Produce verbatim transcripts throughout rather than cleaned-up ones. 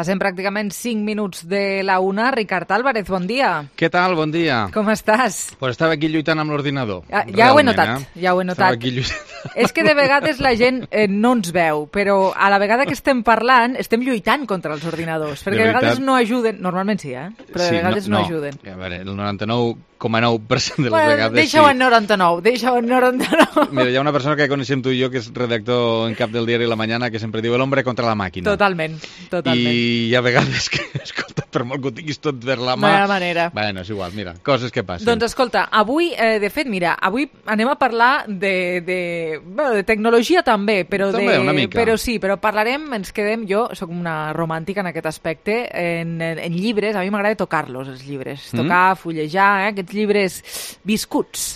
Passem pràcticament cinc minuts de la una. Ricard Álvarez, bon dia. Què tal? Bon dia. Com estàs? Pues estava aquí lluitant amb l'ordinador. Ja, ja ho he notat, eh? ja ho he notat. Estava aquí lluitant. És que de vegades la gent eh, no ens veu, però a la vegada que estem parlant estem lluitant contra els ordinadors, perquè a vegades no ajuden, normalment sí, eh? però de sí, vegades no, no, no ajuden. A veure, el noranta-nou coma nou per cent de les bueno, vegades deixa-ho sí. en noranta-nou, deixa-ho en noranta-nou. Mira, hi ha una persona que coneixem tu i jo que és redactor en cap del diari La Mañana que sempre diu el hombre contra la màquina. Totalment, totalment. I hi ha vegades que, escolta, per molt que ho tinguis tot per la mà... No hi ha manera. Bueno, és igual, mira, coses que passen. Doncs escolta, avui, eh, de fet, mira, avui anem a parlar de, de, bueno, de tecnologia també, però, també, de, una mica. però sí, però parlarem, ens quedem, jo soc una romàntica en aquest aspecte, en, en, en llibres, a mi m'agrada tocar-los, els llibres, tocar, mm. fullejar, eh, aquests llibres viscuts.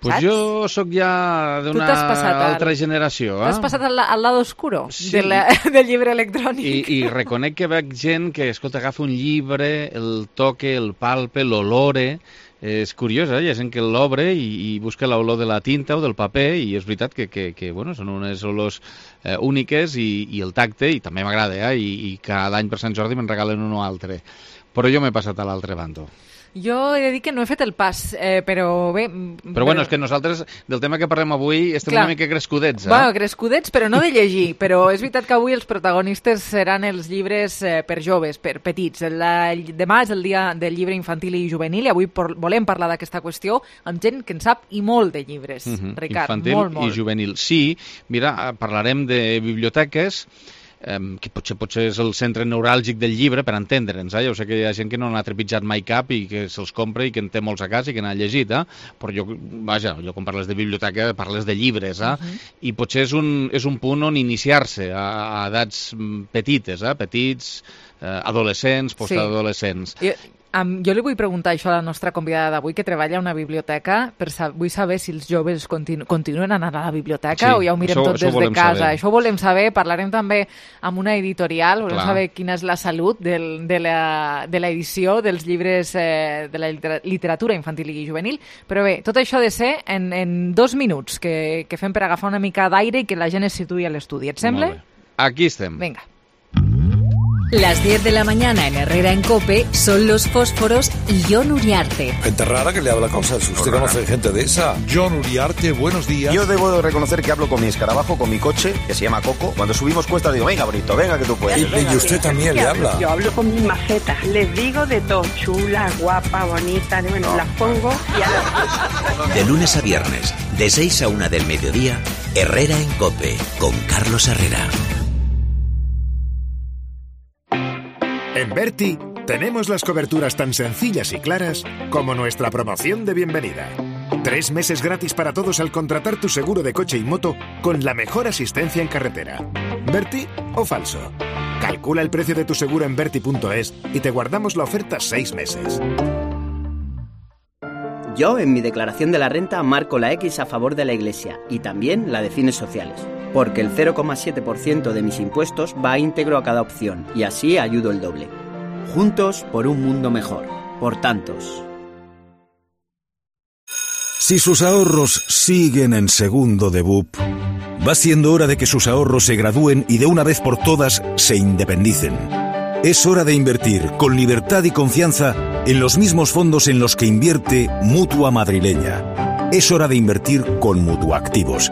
Pues saps? jo sóc ja d'una altra al... generació. Eh? T'has passat al, al lado oscuro sí. de la, del llibre electrònic. I, I reconec que veig gent que, escolta, agafa un llibre, el toque, el palpe, l'olore. És curiós, eh? Hi ha gent que l'obre i, i busca l'olor de la tinta o del paper i és veritat que, que, que bueno, són unes olors eh, úniques i, i el tacte, i també m'agrada, eh? I, i cada any per Sant Jordi me'n regalen un o altre. Però jo m'he passat a l'altre bando. Jo he de dir que no he fet el pas, eh, però bé... Però, però bueno, és que nosaltres, del tema que parlem avui, estem clar. una mica crescudets, eh? Bueno, crescudets, però no de llegir. Però és veritat que avui els protagonistes seran els llibres eh, per joves, per petits. La, demà és el dia del llibre infantil i juvenil i avui por, volem parlar d'aquesta qüestió amb gent que en sap i molt de llibres, uh-huh. Ricard, infantil molt, molt. i juvenil. Sí, mira, parlarem de biblioteques, Um, que potser, potser és el centre neuràlgic del llibre, per entendre'ns, eh? Jo sé que hi ha gent que no n'ha trepitjat mai cap i que se'ls compra i que en té molts a casa i que n'ha llegit, eh? Però jo, vaja, jo quan parles de biblioteca parles de llibres, eh? Uh-huh. I potser és un, és un punt on iniciar-se a, a edats petites, eh? Petits, eh, adolescents, postadolescents. Sí. I... Um, jo li vull preguntar això a la nostra convidada d'avui, que treballa a una biblioteca, per sa vull saber si els joves continu continuen anant a la biblioteca sí, o ja ho mirem això, tot des de casa. Saber. Això ho volem saber, parlarem també amb una editorial, volem Clar. saber quina és la salut del, de l'edició de dels llibres eh, de la literatura infantil i juvenil, però bé, tot això ha de ser en, en dos minuts, que, que fem per agafar una mica d'aire i que la gent es situï a l'estudi. Et sembla? Aquí estem. Vinga. Las diez de la mañana en Herrera en COPE son Los Fósforos y Jon Uriarte. Gente rara que le habla cosas. ¿Usted conoce gente de esa? Jon Uriarte, buenos días. Yo debo de reconocer que hablo con mi escarabajo, con mi coche, que se llama Coco. Cuando subimos cuesta digo, venga, Brito, venga que tú puedes. Y, y usted también le habla. Yo hablo con mis macetas. Les digo de todo. Chula, guapa, bonita. Bueno, no. las pongo y ahora... De lunes a viernes, de seis a una del mediodía, Herrera en COPE, con Carlos Herrera. En Berti tenemos las coberturas tan sencillas y claras como nuestra promoción de bienvenida. Tres meses gratis para todos al contratar tu seguro de coche y moto con la mejor asistencia en carretera. ¿Berti o falso? Calcula el precio de tu seguro en berti punto es y te guardamos la oferta seis meses. Yo en mi declaración de la renta marco la X a favor de la Iglesia y también la de fines sociales, porque el cero coma siete por ciento de mis impuestos va íntegro a cada opción y así ayudo el doble. Juntos por un mundo mejor. Por tantos. Si sus ahorros siguen en segundo de B U P, va siendo hora de que sus ahorros se gradúen y de una vez por todas se independicen. Es hora de invertir con libertad y confianza en los mismos fondos en los que invierte Mutua Madrileña. Es hora de invertir con Mutuactivos.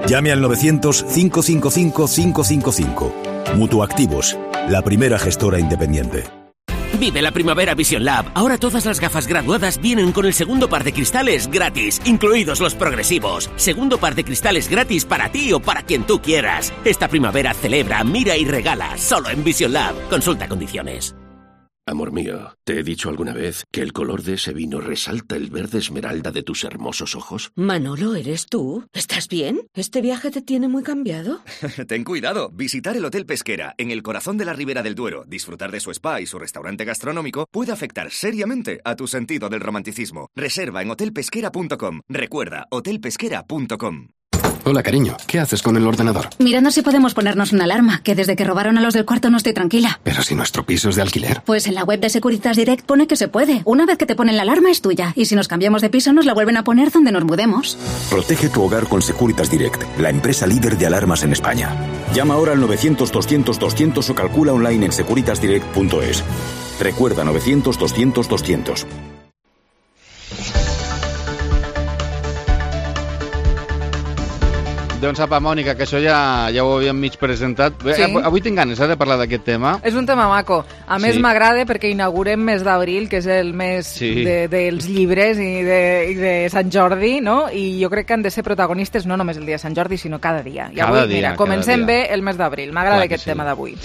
Llame al novecientos, cinco cinco cinco, cinco cinco cinco. Mutuactivos, la primera gestora independiente. Vive la primavera Vision Lab. Ahora todas las gafas graduadas vienen con el segundo par de cristales gratis, incluidos los progresivos. Segundo par de cristales gratis para ti o para quien tú quieras. Esta primavera celebra, mira y regala, solo en Vision Lab. Consulta condiciones. Amor mío, ¿te he dicho alguna vez que el color de ese vino resalta el verde esmeralda de tus hermosos ojos? Manolo, ¿eres tú? ¿Estás bien? ¿Este viaje te tiene muy cambiado? Ten cuidado. Visitar el Hotel Pesquera, en el corazón de la Ribera del Duero, disfrutar de su spa y su restaurante gastronómico puede afectar seriamente a tu sentido del romanticismo. Reserva en hotel pesquera punto com. Recuerda, hotel pesquera punto com. Hola, cariño. ¿Qué haces con el ordenador? Mirando si podemos ponernos una alarma, que desde que robaron a los del cuarto no estoy tranquila. Pero si nuestro piso es de alquiler. Pues en la web de Securitas Direct pone que se puede. Una vez que te ponen la alarma es tuya. Y si nos cambiamos de piso nos la vuelven a poner donde nos mudemos. Protege tu hogar con Securitas Direct, la empresa líder de alarmas en España. Llama ahora al novecientos doscientos doscientos o calcula online en securitas direct punto es. Recuerda novecientos doscientos doscientos. Doncs apa, Mònica, que això ja, ja ho havíem mig presentat. Sí. Avui tinc ganes eh, de parlar d'aquest tema. És un tema maco. A més, Sí. m'agrada perquè inaugurem mes d'abril, que és el mes Sí. de, dels llibres i de, i de Sant Jordi, no? I jo crec que han de ser protagonistes no només el dia de Sant Jordi, sinó cada dia. I Cada avui, dia, mira, cada comencem dia. bé el mes d'abril. M'agrada Clar que aquest sí. tema d'avui.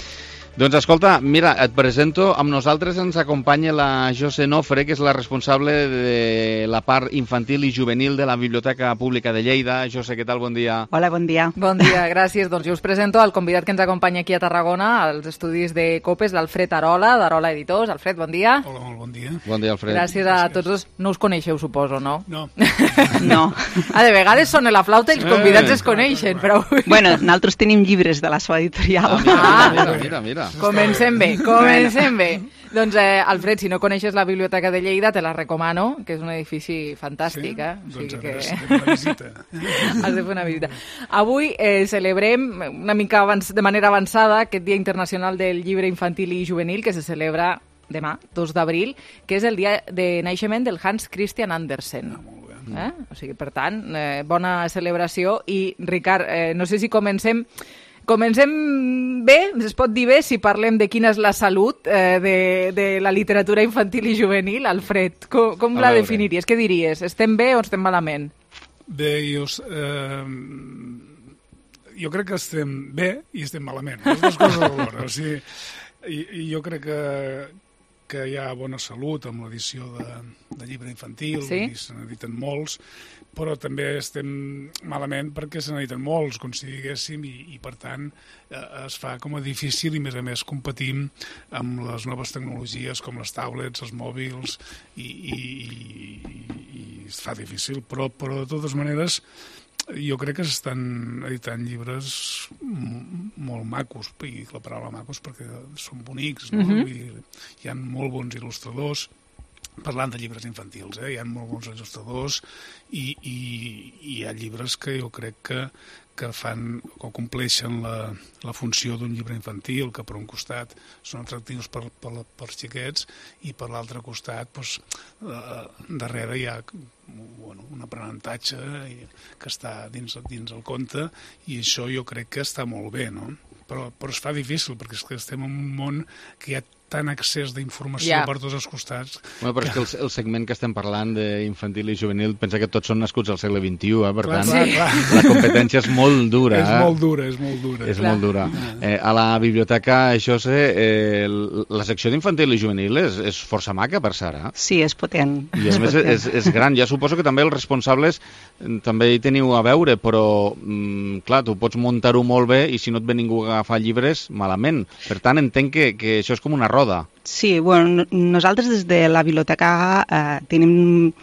Doncs escolta, mira, et presento, amb nosaltres ens acompanya la José Nofre, que és la responsable de la part infantil i juvenil de la Biblioteca Pública de Lleida. José, què tal? Bon dia. Hola, bon dia. Bon dia, gràcies. Doncs jo us presento el convidat que ens acompanya aquí a Tarragona, als estudis de Copes, l'Alfred Arola, d'Arola Editors. Alfred, bon dia. Hola, molt bon dia. Bon dia, Alfred. Gràcies a tots dos. No us coneixeu, suposo, no? No. No. Ah, de vegades sona la flauta i els convidats Eh. es coneixen, però... Bueno, nosaltres tenim llibres de la seva editorial. Ah, mira, mira, mira. Comencem bé, comencem bé. Doncs, eh, Alfred, si no coneixes la Biblioteca de Lleida, te la recomano, que és un edifici fantàstic, eh? O sigui Doncs que... a veure si fem una visita. Has de fer una visita. Avui eh, celebrem una mica abans, de manera avançada aquest Dia Internacional del Llibre Infantil i Juvenil, que se celebra demà, dos d'abril, que és el dia de naixement del Hans Christian Andersen. Eh? O sigui, per tant, eh, bona celebració. I, Ricard, eh, no sé si comencem... Comencem bé, es pot dir bé, si parlem de quina és la salut eh, de, de la literatura infantil i juvenil. Alfred, com, com la definiries? Què diries? Estem bé o estem malament? Bé, jo, eh, jo crec que estem bé i estem malament. Les dues coses alhora. O sigui, i, i jo crec que, que hi ha bona salut amb l'edició de, de llibre infantil, Sí? i se n'editen molts, però també estem malament perquè se n'editen molts, com si diguéssim, i, i per tant eh, es fa com a difícil i a més a més competim amb les noves tecnologies com les tablets, els mòbils, i, i, i, i es fa difícil, però, però de totes maneres jo crec que s'estan editant llibres molt macos, i la paraula macos perquè són bonics, no? Mhm. I hi ha molt bons il·lustradors, parlant de llibres infantils, eh? Hi ha molt bons il·lustradors i, i, i hi ha llibres que jo crec que, que fan o compleixen la, la funció d'un llibre infantil, que per un costat són atractius per, per, per als xiquets i per l'altre costat doncs, eh, darrere hi ha bueno, un aprenentatge que està dins, dins el conte, i això jo crec que està molt bé, no? Però, però es fa difícil perquè és que estem en un món que hi ha tant accés d'informació Ja. per tots els costats. Bueno, però és que el, el segment que estem parlant d'infantil i juvenil, pensa que tots són nascuts al segle vint-i-u, eh? Per Clar, tant, clar, clar. la competència és molt dura. És eh? molt dura, és molt dura. És Clar. molt dura. Eh, a la biblioteca, José, eh, la secció d'infantil i juvenil és, és força maca, per Sara. Sí, és potent. I a més és, és gran. Ja suposo que també els responsables eh, també hi teniu a veure, però, mm, clar, tu pots muntar-ho molt bé i si no et ve ningú a agafar llibres, malament. Per tant, entenc que, que això és com una roda. Sí, bueno, nosaltres des de la biblioteca eh, tenim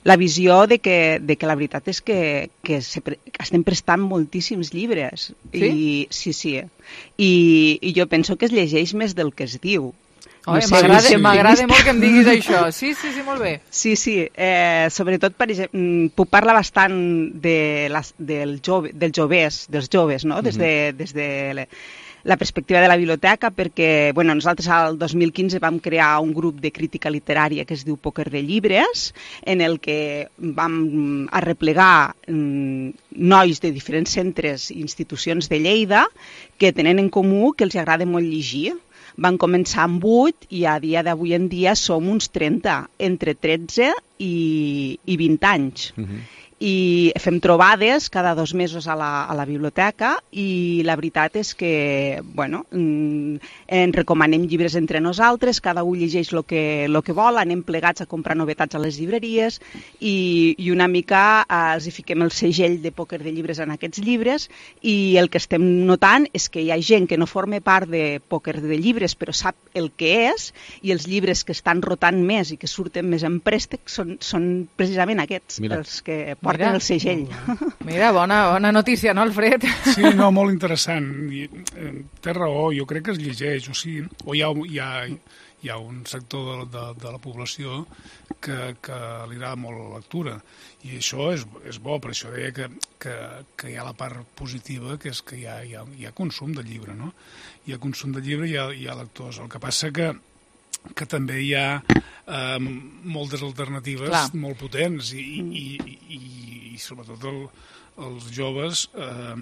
la visió de que, de que la veritat és que, que se pre estem prestant moltíssims llibres. Sí? I, sí, sí. I, I jo penso que es llegeix més del que es diu. Oi, sé, m'agrada sí. m'agrada molt que em diguis això. Sí, sí, sí, molt bé. Sí, sí. Eh, sobretot, per exemple, puc parlar bastant de les, del jove, dels joves, dels joves, no? Des de, des de le, la perspectiva de la biblioteca, perquè bueno, nosaltres al dos mil quinze vam crear un grup de crítica literària que es diu Pòquer de Llibres, en el que vam arreplegar mm, nois de diferents centres i institucions de Lleida que tenen en comú que els agrada molt llegir. Van començar amb vuit i a dia d'avui en dia som uns trenta, entre tretze i, i vint anys. Uh-huh. I fem trobades cada dos mesos a la, a la biblioteca i la veritat és que bueno, en recomanem llibres entre nosaltres, cada un llegeix el que, lo que vol, anem plegats a comprar novetats a les llibreries i, i una mica eh, els hi fiquem el segell de Pòquer de Llibres en aquests llibres, i el que estem notant és que hi ha gent que no forma part de Pòquer de Llibres però sap el que és, i els llibres que estan rotant més i que surten més en préstec són, són precisament aquests. Mira. Els que porten el segell. Mira, bona, bona notícia, no, Alfred? Sí, no, molt interessant. I, eh, té raó, jo crec que es llegeix, o sigui, o hi ha, hi ha, hi ha un sector de, de, de la població que, que li agrada molt la lectura, i això és, és bo, per això deia que, que, que hi ha la part positiva, que és que hi ha, hi ha, hi ha consum de llibre, no? Hi ha consum de llibre i hi ha, hi ha lectors. El que passa que que també hi ha eh, moltes alternatives Clar. molt potents i, i, i, i sobretot el, els joves, eh,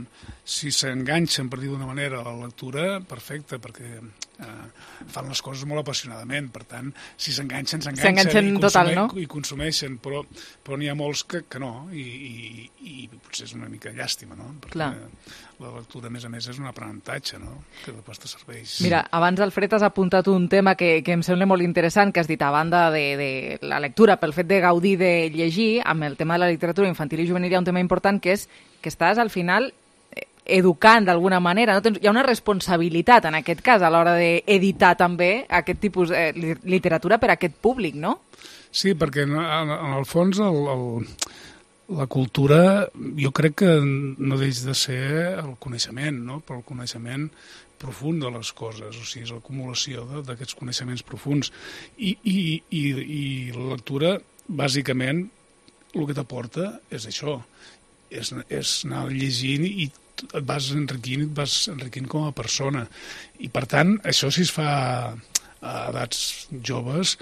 si s'enganxen, per dir d'una manera, a la lectura, perfecte, perquè eh, fan les coses molt apassionadament, per tant, si s'enganxen, s'enganxen i, total, no? i consumeixen, però, però n'hi ha molts que, que no, i, i, i potser és una mica llàstima, no? Perquè Clar. la lectura, a més a més, és un aprenentatge, no? Que després te serveix. Mira, abans, Alfred, has apuntat un tema que, que em sembla molt interessant, que has dit, a banda de, de la lectura, pel fet de gaudir de llegir, amb el tema de la literatura infantil i juvenil hi ha un tema important, que és que estàs, al final, educant d'alguna manera, no? Tens, hi ha una responsabilitat, en aquest cas, a l'hora d'editar també aquest tipus de eh, literatura per a aquest públic, no? Sí, perquè en, en el fons el, el, la cultura jo crec que no deix de ser el coneixement, no? Però el coneixement profund de les coses, o sigui, és l'acumulació d'aquests coneixements profunds. I, i, i, i la lectura, bàsicament, el que t'aporta és això, és, és anar llegint i et vas enriquint, et vas enriquint com a persona. I, per tant, això si es fa a edats joves,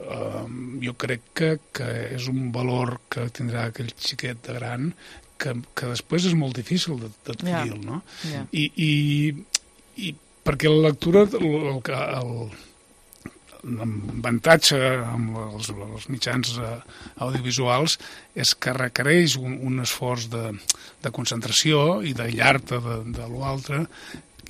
eh, jo crec que, que és un valor que tindrà aquell xiquet de gran que, que després és molt difícil d'adquirir, yeah. no? Yeah. I, i, i perquè la lectura, el, el, l'avantatge amb els, els mitjans audiovisuals és que requereix un, un esforç de, de concentració i de llar-te de, de l'altre,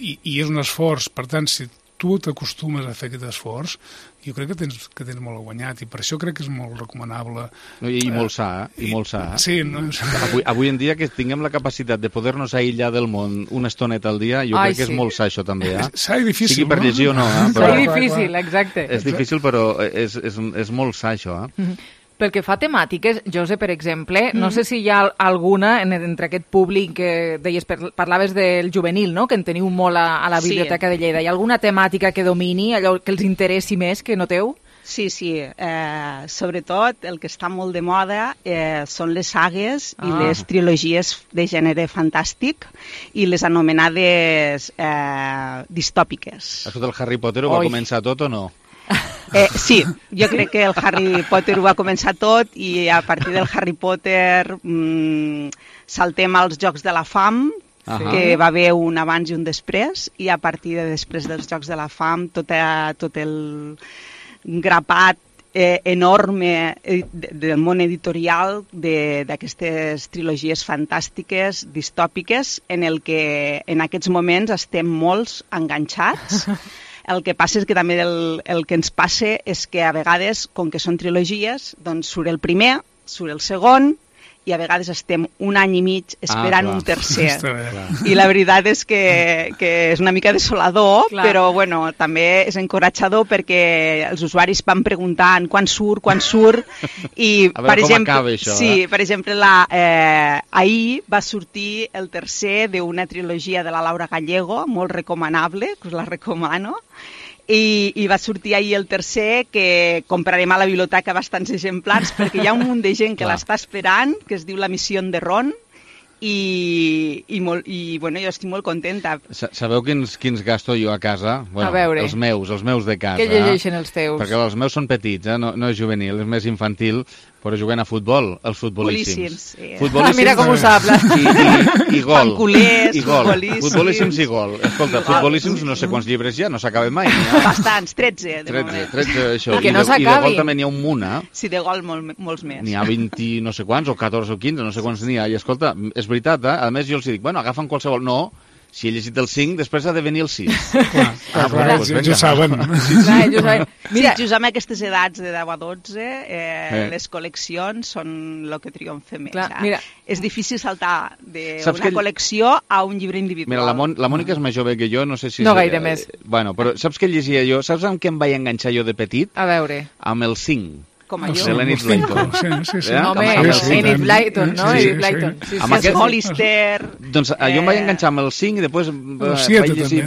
i, i és un esforç. Per tant, si tu t'acostumes a fer aquest esforç, jo crec que tens, que tens molt guanyat, i per això crec que és molt recomanable. No, i, i molt sa, eh? I, i molt sa. Eh? Sí, no? avui, avui en dia que tinguem la capacitat de poder-nos aïllar del món una estoneta al dia, jo Ai, crec que sí. és molt sa això també, eh? Sa i difícil, sigui per no? llegir o no, eh? Però... Sa i difícil, exacte. És difícil, però és, és, és molt sa això, eh? Mm-hmm. Pel que fa a temàtiques, Jose, per exemple, mm. no sé si hi ha alguna en, entre aquest públic que deies, parlaves del juvenil, no? Que en teniu molt a, a la Biblioteca sí. de Lleida. Hi ha alguna temàtica que domini, allò que els interessi més que noteu? Sí, sí. Eh, sobretot el que està molt de moda eh, són les sagues ah. i les trilogies de gènere fantàstic i les anomenades eh, distòpiques. Això del Harry Potter ho va Oi. començar tot o no? Eh, sí, jo crec que el Harry Potter ho va començar tot i a partir del Harry Potter mmm, saltem als Jocs de la Fam, uh-huh. que va haver un abans i un després, i a partir de després dels Jocs de la Fam tot, a, tot el grapat eh, enorme eh, del món editorial d'aquestes trilogies fantàstiques, distòpiques, en el que en aquests moments estem molts enganxats. El que passa és que també el, el que ens passa és que a vegades, com que són trilogies, doncs surt el primer, surt el segon, i a vegades estem un any i mig esperant ah, un tercer. I la veritat és que, que és una mica desolador, clar. Però bueno, també és encoratjador perquè els usuaris van preguntant quan surt, quan surt, i a veure per com exemple, acaba això, sí, eh? per exemple, la, eh, ahir va sortir el tercer d'una trilogia de la Laura Gallego, molt recomanable, que us la recomano, I, i va sortir ahir el tercer, que comprarem a la biblioteca bastants exemplars perquè hi ha un munt de gent que l'està esperant, que es diu La missió de Ron, i, i, molt, i bueno, jo estic molt contenta. Sabeu quins, quins gasto jo a casa? Bueno, a veure. Els meus, els meus de casa. Què llegeixen els teus? Perquè els meus són petits, eh? no, no és juvenil, és més infantil, però juguen a futbol, els futbolíssims. Sí. Futbolíssims. Ah, mira com ho sap. I, i, i gol. Panculers, I gol. futbolíssims. Futbolíssims i gol. Escolta, futbolíssims no sé quants llibres hi ha, no s'acaben mai. Ja. Bastants, tretze, de tretze, moment. tretze, això. I que no s'acabin. I de gol també n'hi ha un munt, eh? Sí, de gol molt, molts més. N'hi ha vint no sé quants, o catorze o quinze, no sé quants n'hi ha. I escolta, és veritat, eh? A més jo els dic, bueno, agafen qualsevol. No, si he llegit el cinc, després ha de venir el sis. Clar, ah, clar, doncs ells ho saben. Sí, sí. Clar, ells ho saben. Mira, sí, just amb aquestes edats de deu a dotze, eh, eh. les col·leccions són el que triomfen més. Clar, eh? mira. És difícil saltar d'una que... col·lecció a un llibre individual. Mira, la, Mon la Mònica és més jove que jo, no sé si... No gaire més. Bueno, però saps què llegia jo? Saps amb què em vaig enganxar jo de petit? A veure. Amb el cinc. com a jo. De l'Enid Blyton. Sí, sí, sí. No, home, Enid Blyton, no? Enid Blyton. Amb aquest Hollister... Doncs jo em vaig enganxar amb el cinc i després vaig llegir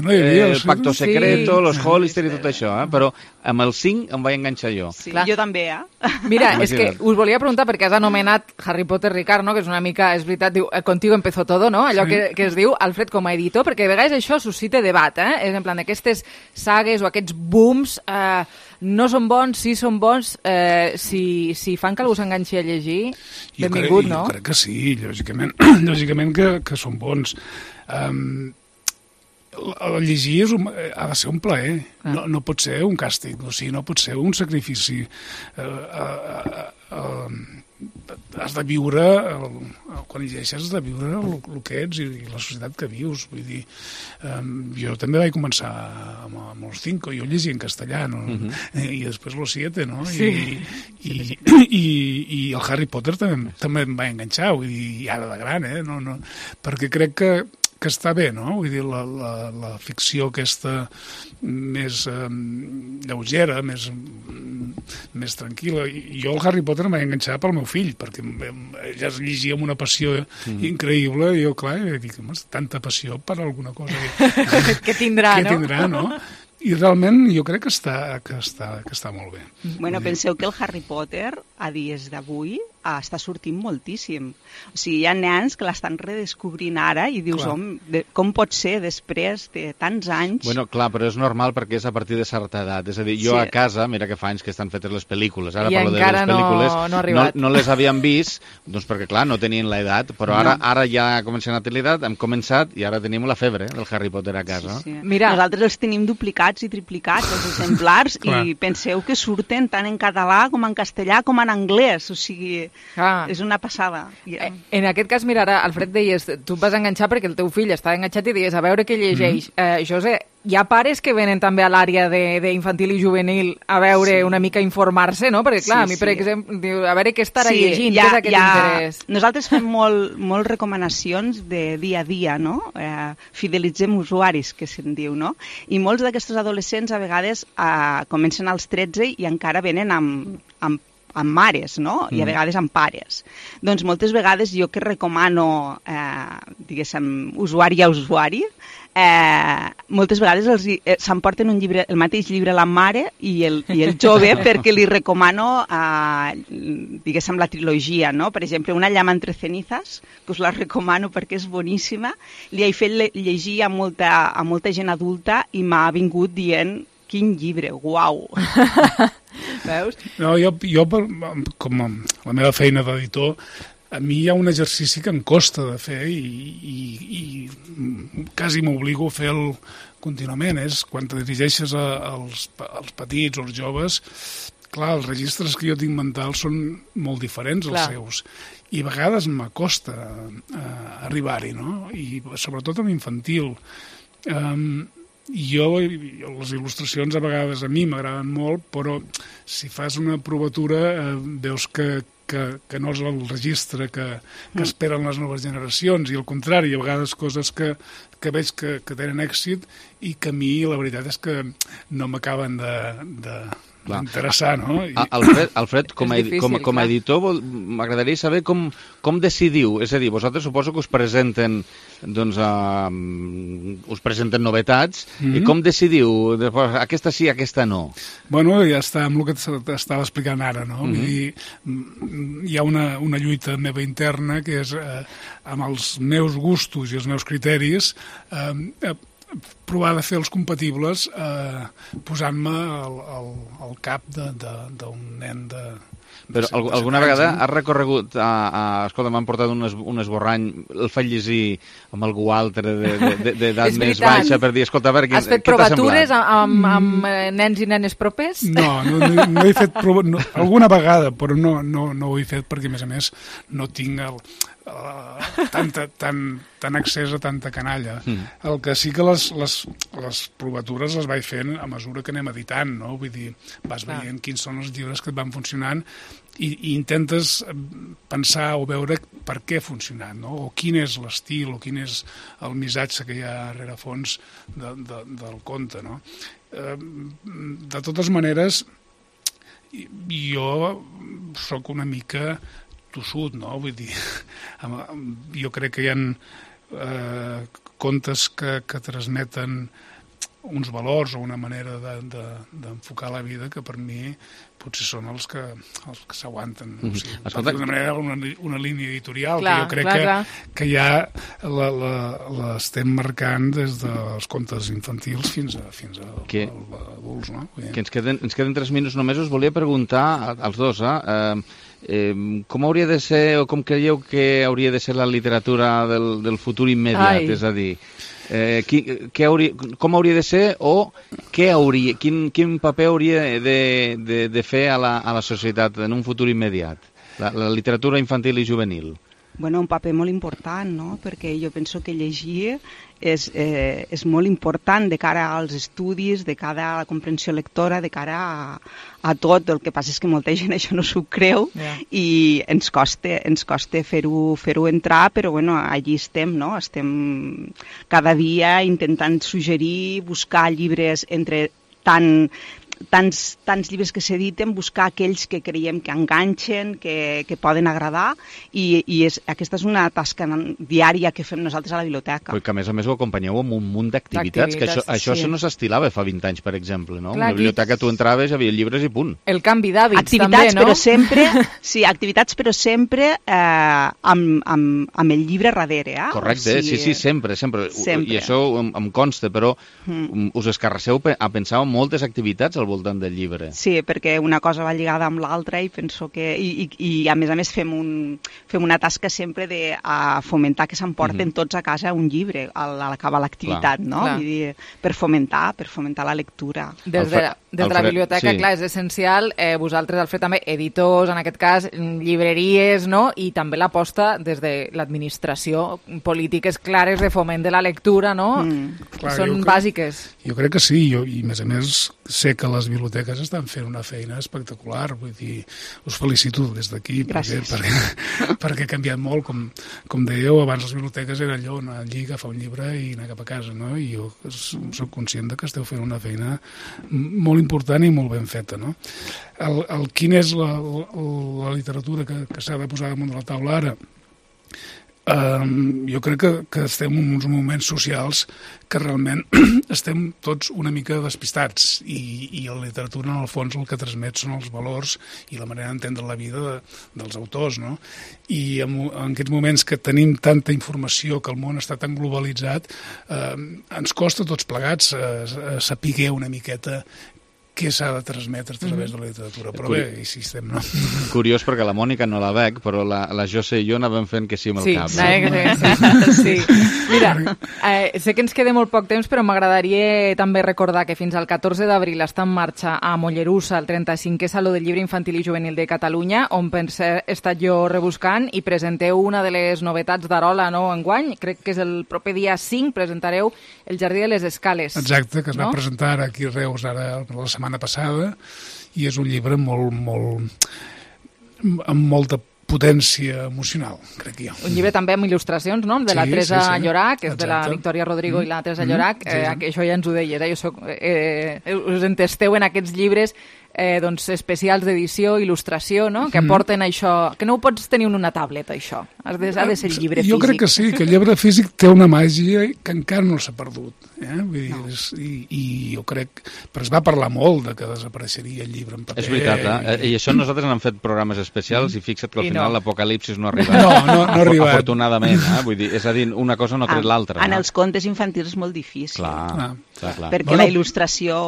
El Pacto Secreto, los Hollister i tot això, però amb el cinc em vaig enganxar jo. Sí, jo també, eh? Mira, és que us volia preguntar, perquè has anomenat Harry Potter Ricard, no? Que és una mica, és veritat, diu, contigo empezó todo, no? Allò que, que es diu Alfred com a editor, perquè a vegades això suscita debat, eh? És en plan, aquestes sagues o aquests booms eh, no són bons, sí són bons, eh, si, si fan que algú s'enganxi a llegir, benvingut, no? Jo crec que sí, lògicament, lògicament que, que són bons. Um, el llegir és un, ha de ser un plaer, ah. no, no pot ser un càstig, o sigui, no pot ser un sacrifici. Uh, uh, uh, uh, has de viure, el, quan llegeixes has de viure el, el que ets i, i la societat que vius. Vull dir, um, jo també vaig començar amb, amb els cinco, jo llegia en castellà, no? Uh-huh. I després los siete, no? Sí. I, i, i, i el Harry Potter també, també em va enganxar, vull dir, i ara de gran, eh? No, no, perquè crec que que està bé, no? Vull dir, la, la, la ficció aquesta més eh, lleugera, més, més tranquil·la. I jo el Harry Potter em vaig enganxar pel meu fill, perquè ja es llegia amb una passió mm. increïble, i jo, clar, dic, tanta passió per alguna cosa. que tindrà, que no? tindrà, no? I realment jo crec que està, que està, que està molt bé. Bueno, penseu que el Harry Potter, a dies d'avui, està sortint moltíssim. O sigui, hi ha nens que l'estan redescobrint ara i dius, hom, de, com pot ser després de tants anys? Bueno, clar, però és normal perquè és a partir de certa edat. És a dir, jo sí. a casa, mira que fa anys que estan fetes les pel·lícules, ara I parlo de les pel·lícules, no, no, no, no les havien vist, doncs perquè, clar, no tenien l'edat, però ara, no. ara ja comencem a tenir l'edat, hem començat i ara tenim la febre del Harry Potter a casa. Sí, sí. Mira, nosaltres els tenim duplicats i triplicats, els exemplars, i penseu que surten tant en català com en castellà com en anglès, o sigui... Ah. És una passada. Yeah. En aquest cas, mira, ara, Alfred, deies, tu et vas enganxar perquè el teu fill està enganxat i deies a veure què llegeix. Mm. Eh, José, hi ha pares que venen també a l'àrea d'infantil i juvenil a veure sí. una mica informar-se, no? Perquè, clar, sí, a mi, per sí. exemple, diu, a veure què estarà sí, llegint, ha, què és aquest ha... interès. Nosaltres fem molt, molt recomanacions de dia a dia, no? Eh, fidelitzem usuaris, que se'n diu, no? I molts d'aquests adolescents, a vegades, eh, comencen als tretze i encara venen amb, amb amb mares, no? I a vegades amb pares. Doncs moltes vegades jo que recomano, eh, diguéssim, usuari a usuari, eh, moltes vegades els, eh, s'emporten un llibre, el mateix llibre la mare i el, i el jove perquè li recomano, eh, diguéssim, la trilogia, no? Per exemple, Una llama entre cenizas, que us la recomano perquè és boníssima. Li he fet llegir a molta, a molta gent adulta i m'ha vingut dient quin llibre, uau! Veus? No, jo, jo, com a la meva feina d'editor, a mi hi ha un exercici que em costa de fer i, i, i quasi m'obligo a fer-lo contínuament. És quan te dirigeixes a, als, als petits o als joves, clar, els registres que jo tinc mentals són molt diferents als seus. I a vegades m'acosta uh, arribar-hi, no? I sobretot amb infantil. Um, Jo, les il·lustracions a vegades a mi m'agraden molt, però si fas una provatura eh, veus que, que, que no és el registre que, que esperen les noves generacions, i al contrari, a vegades coses que, que veig que, que tenen èxit i que a mi la veritat és que no m'acaben de... de interessar, no? I... Alfred, Alfred com, a, difícil, com, com a editor, m'agradaria saber com, com decidiu. És a dir, vosaltres suposo que us presenten doncs, uh, us presenten novetats, mm-hmm. i com decidiu? Aquesta sí, aquesta no. Bueno, ja està amb el que t'estava explicant ara, no? Mm-hmm. Vull dir, hi ha una, una lluita meva interna que és eh, amb els meus gustos i els meus criteris eh, eh, provar de fer els compatibles eh, posant-me al, al, al cap d'un nen de... Però de alguna vegada has recorregut a, a escolta, m'han portat un, es, un esborrany, el faig llegir amb algú altre d'edat més baixa per dir, escolta, a veure, què, has fet què t'ha semblat? provatures amb, amb nens i nenes propers? No, no, no, no he fet prova, no, alguna vegada, però no, no, no ho he fet perquè, a més a més, no tinc el, uh, tanta, tan, tan accés a tanta canalla. Mm. El que sí que les, les, les provatures les vaig fent a mesura que anem editant, no? Vull dir, vas Clar. veient quins són els llibres que et van funcionant i, i intentes pensar o veure per què ha funcionat, no? O quin és l'estil, o quin és el missatge que hi ha a rerefons de, de, del conte, no? Eh, de totes maneres, jo sóc una mica tossut, no? Vull dir, jo crec que hi ha eh, contes que, que transmeten uns valors o una manera d'enfocar de, de, la vida que per mi potser són els que, els que s'aguanten. Mm -hmm. O sigui, Escolta... d'una manera, una, una línia editorial clar, que jo crec clar, que, clar. que ja l'estem marcant des dels contes infantils fins a, fins a que, adults. No? Que ens queden, ens queden tres minuts només. Us volia preguntar als dos, eh? eh Eh, com hauria de ser, o com creieu que hauria de ser la literatura del, del futur immediat? Ai. És a dir, eh, qui, què hauria, com hauria de ser o què hauria, quin, quin paper hauria de, de, de fer a la, a la societat en un futur immediat? La, la literatura infantil i juvenil. Bueno, un paper molt important, no? Perquè jo penso que llegir és, eh, és molt important de cara als estudis, de cara a la comprensió lectora, de cara a, a tot. El que passa és que molta gent això no s'ho creu yeah. i ens costa, ens costa fer-ho fer-ho entrar, però bueno, allí estem, no? Estem cada dia intentant suggerir, buscar llibres entre tant... Tants, tants llibres que s'editen, buscar aquells que creiem que enganxen, que, que poden agradar, i, i és, aquesta és una tasca diària que fem nosaltres a la biblioteca. Però que a més a més ho acompanyeu amb un munt d'activitats, que això, això sí. no s'estilava fa vint anys, per exemple, no? Clar, una biblioteca tu entraves, hi havia llibres i punt. El canvi d'hàbits activitats, també, no? Però sempre, sí, activitats però sempre eh, amb, amb, amb el llibre darrere, eh? Correcte, o sigui, sí, sí, sempre, sempre, sempre. I això em, em consta, però mm. us escarrasseu a pensar en moltes activitats al voltant del llibre. Sí, perquè una cosa va lligada amb l'altra i penso que... I, i, i a més a més fem, un, fem una tasca sempre de a fomentar que s'emporten mm-hmm. tots a casa un llibre a l'acabar l'activitat, no? Clar. Vull dir, per fomentar, per fomentar la lectura. Des de, des de la biblioteca, sí. clar, és essencial. Eh, vosaltres, Alfred, també editors, en aquest cas, llibreries, no? I també l'aposta des de l'administració, polítiques clares de foment de la lectura, no? Mm. Clar, són jo bàsiques. Crec, jo crec que sí, jo, i a més a més sé que les biblioteques estan fent una feina espectacular, vull dir, us felicito des d'aquí perquè, perquè, perquè ha canviat molt, com, com dèieu, abans les biblioteques era allò, anar allí, agafar un llibre i anar cap a casa, no? I jo soc conscient de que esteu fent una feina molt important i molt ben feta, no? El, el, quina és la, la, la literatura que, que s'ha de posar damunt de la taula ara? Um, jo crec que, que estem en uns moments socials que realment estem tots una mica despistats i, i la literatura en el fons el que transmet són els valors i la manera d'entendre la vida de, dels autors, no? I en, en aquests moments que tenim tanta informació, que el món està tan globalitzat, eh, ens costa tots plegats eh, saber una miqueta què s'ha de transmetre a través de la literatura. Però Curi... bé, així estem, no? Curiós, perquè la Mònica no la veig, però la, la José i jo anàvem fent que sí amb el sí, cap. No? Sí, sí. Mira, eh, sé que ens queda molt poc temps, però m'agradaria també recordar que fins al catorze d'abril està en marxa a Mollerussa el trenta-cinquè Saló del Llibre Infantil i Juvenil de Catalunya, on per cert he estat jo rebuscant i presenteu una de les novetats d'Arola, no, enguany. Crec que és el proper dia cinc, presentareu El Jardí de les Escales. Exacte, que es no? va presentar aquí a Reus ara la setmana passada, i és un llibre molt, molt, amb molta potència emocional, crec jo. Un llibre també amb il·lustracions, no? De sí, la Teresa sí, sí. Llorac, que és Exacte. de la Victòria Rodrigo mm. i la Teresa mm. Llorac. Eh, sí, sí. Això ja ens ho deies, eh? Jo soc, eh, us entesteu en aquests llibres eh, doncs, especials d'edició, il·lustració, no? Que aporten mm. això, que no ho pots tenir en una tableta, això. Has de, ha de ser llibre jo físic. Jo crec que sí, que el llibre físic té una màgia que encara no s'ha perdut. Eh? Vull dir, no. és, i, I jo crec... Però es va parlar molt de que desapareixeria el llibre en paper. És veritat, eh? I, I això nosaltres n'hem fet programes especials mm. i fixa't que al I final no. l'apocalipsis no ha arribat. No, no, no ha arribat. Afortunadament, eh? Vull dir, és a dir, una cosa no tret l'altra. En no? els contes infantils és molt difícil. Clar, clar, clar, clar. Perquè bueno, la il·lustració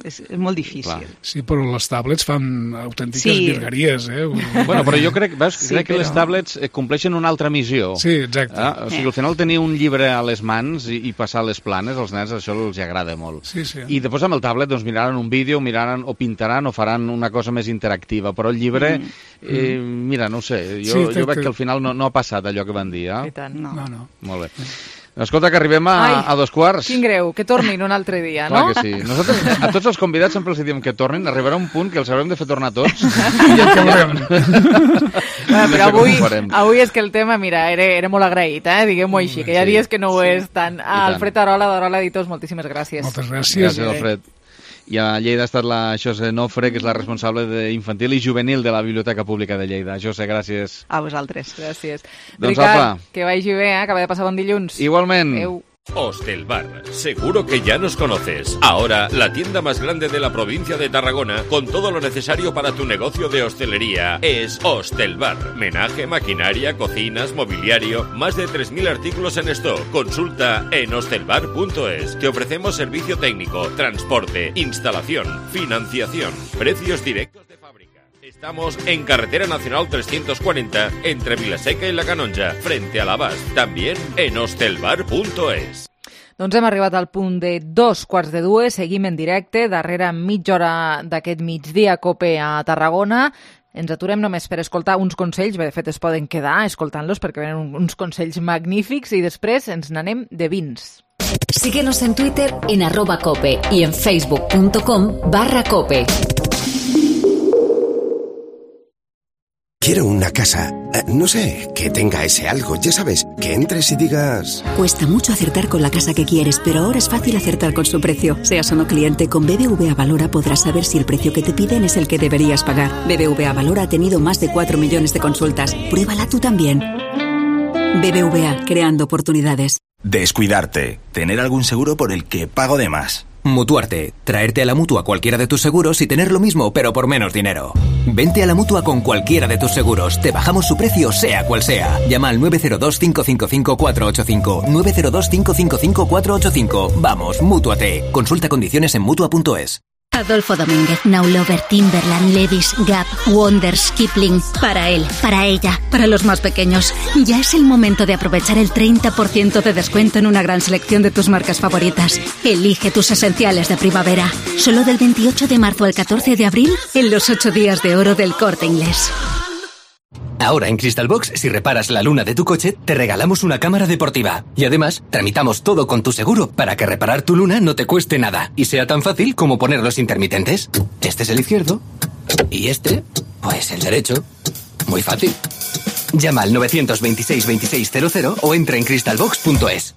és, és molt difícil. Clar. Sí, però les tablets fan autèntiques sí. virgueries, eh? Bueno, però jo crec, veus, sí, crec però... que les tablets compleixen una altra missió. Sí, exacte. Eh? O sigui, al final tenir un llibre a les mans i, i passar les planes, als nens això els agrada molt. Sí, sí. I després amb el tablet doncs, miraran un vídeo, miraran o pintaran o faran una cosa més interactiva, però el llibre, mm. eh, mira, no ho sé, jo, sí, jo veig que al final no, no ha passat allò que van dir. Eh? I tant, no. no, no. Molt bé. Escolta, que arribem a, Ai, a dos quarts. Quin greu, que tornin un altre dia, Clar no? Que sí. Nosaltres, a tots els convidats sempre els diem que tornin, arribarà un punt que els haurem de fer tornar tots i ja acabarem. Bueno, però avui, avui és que el tema, mira, era, era molt agraït, eh? diguem-ho així, que hi ha sí, dies que no ho sí. és tant. A Alfred Arola, d'Arola Editors, moltíssimes gràcies. Moltes gràcies. Gràcies, Alfred. I a Lleida ha estat la José Nofre, que és la responsable d'infantil i juvenil de la Biblioteca Pública de Lleida. José, gràcies. A vosaltres. Gràcies. Doncs Ricard, apa. que vagi bé, eh? Acaba de passar bon dilluns. Igualment. Adéu. Hostelbar, seguro que ya nos conoces. Ahora, la tienda más grande de la provincia de Tarragona, con todo lo necesario para tu negocio de hostelería, es Hostelbar. Menaje, maquinaria, cocinas, mobiliario, más de tres mil artículos en stock. Consulta en hostelbar punto es. Te ofrecemos servicio técnico, transporte, instalación, financiación, precios directos de fábrica. Estamos en Carretera Nacional trescientos cuarenta, entre Vilaseca y La Canonja, frente a l'Abast. También en hostelbar punto es. Doncs hem arribat al punt de dos quarts de dues, seguim en directe, darrere mitja hora d'aquest migdia COPE a Tarragona. Ens aturem només per escoltar uns consells, bé, de fet es poden quedar escoltant-los perquè venen uns consells magnífics i després ens n'anem de vins. Síguenos en Twitter en arroba cope y en facebook punto com barra cope. Quiero una casa, no sé, que tenga ese algo, ya sabes, que entres y digas... Cuesta mucho acertar con la casa que quieres, pero ahora es fácil acertar con su precio. Seas o no cliente, con B B V A Valora podrás saber si el precio que te piden es el que deberías pagar. B B V A Valora ha tenido más de cuatro millones de consultas. Pruébala tú también. B B V A, creando oportunidades. Descuidarte. Tener algún seguro por el que pago de más. Mutuarte. Traerte a la Mutua cualquiera de tus seguros y tener lo mismo, pero por menos dinero. Vente a la Mutua con cualquiera de tus seguros. Te bajamos su precio, sea cual sea. Llama al nueve cero dos, cinco cinco cinco, cuatro ocho cinco. nueve cero dos, cinco cinco cinco, cuatro ocho cinco. Vamos, Mútuate. Consulta condiciones en mutua punto es. Adolfo Domínguez, Now Lover, Timberland, Levi's, Gap, Wonders, Kipling. Para él, para ella, para los más pequeños. Ya es el momento de aprovechar el treinta por ciento de descuento en una gran selección de tus marcas favoritas. Elige tus esenciales de primavera. Solo del veintiocho de marzo al catorce de abril en los ocho días de oro del Corte Inglés. Ahora en Crystal Box, si reparas la luna de tu coche, te regalamos una cámara deportiva. Y además, tramitamos todo con tu seguro para que reparar tu luna no te cueste nada y sea tan fácil como poner los intermitentes. Este es el izquierdo y este, pues el derecho. Muy fácil. Llama al nueve dos seis, veintiséis cero cero o entra en crystal box punto es.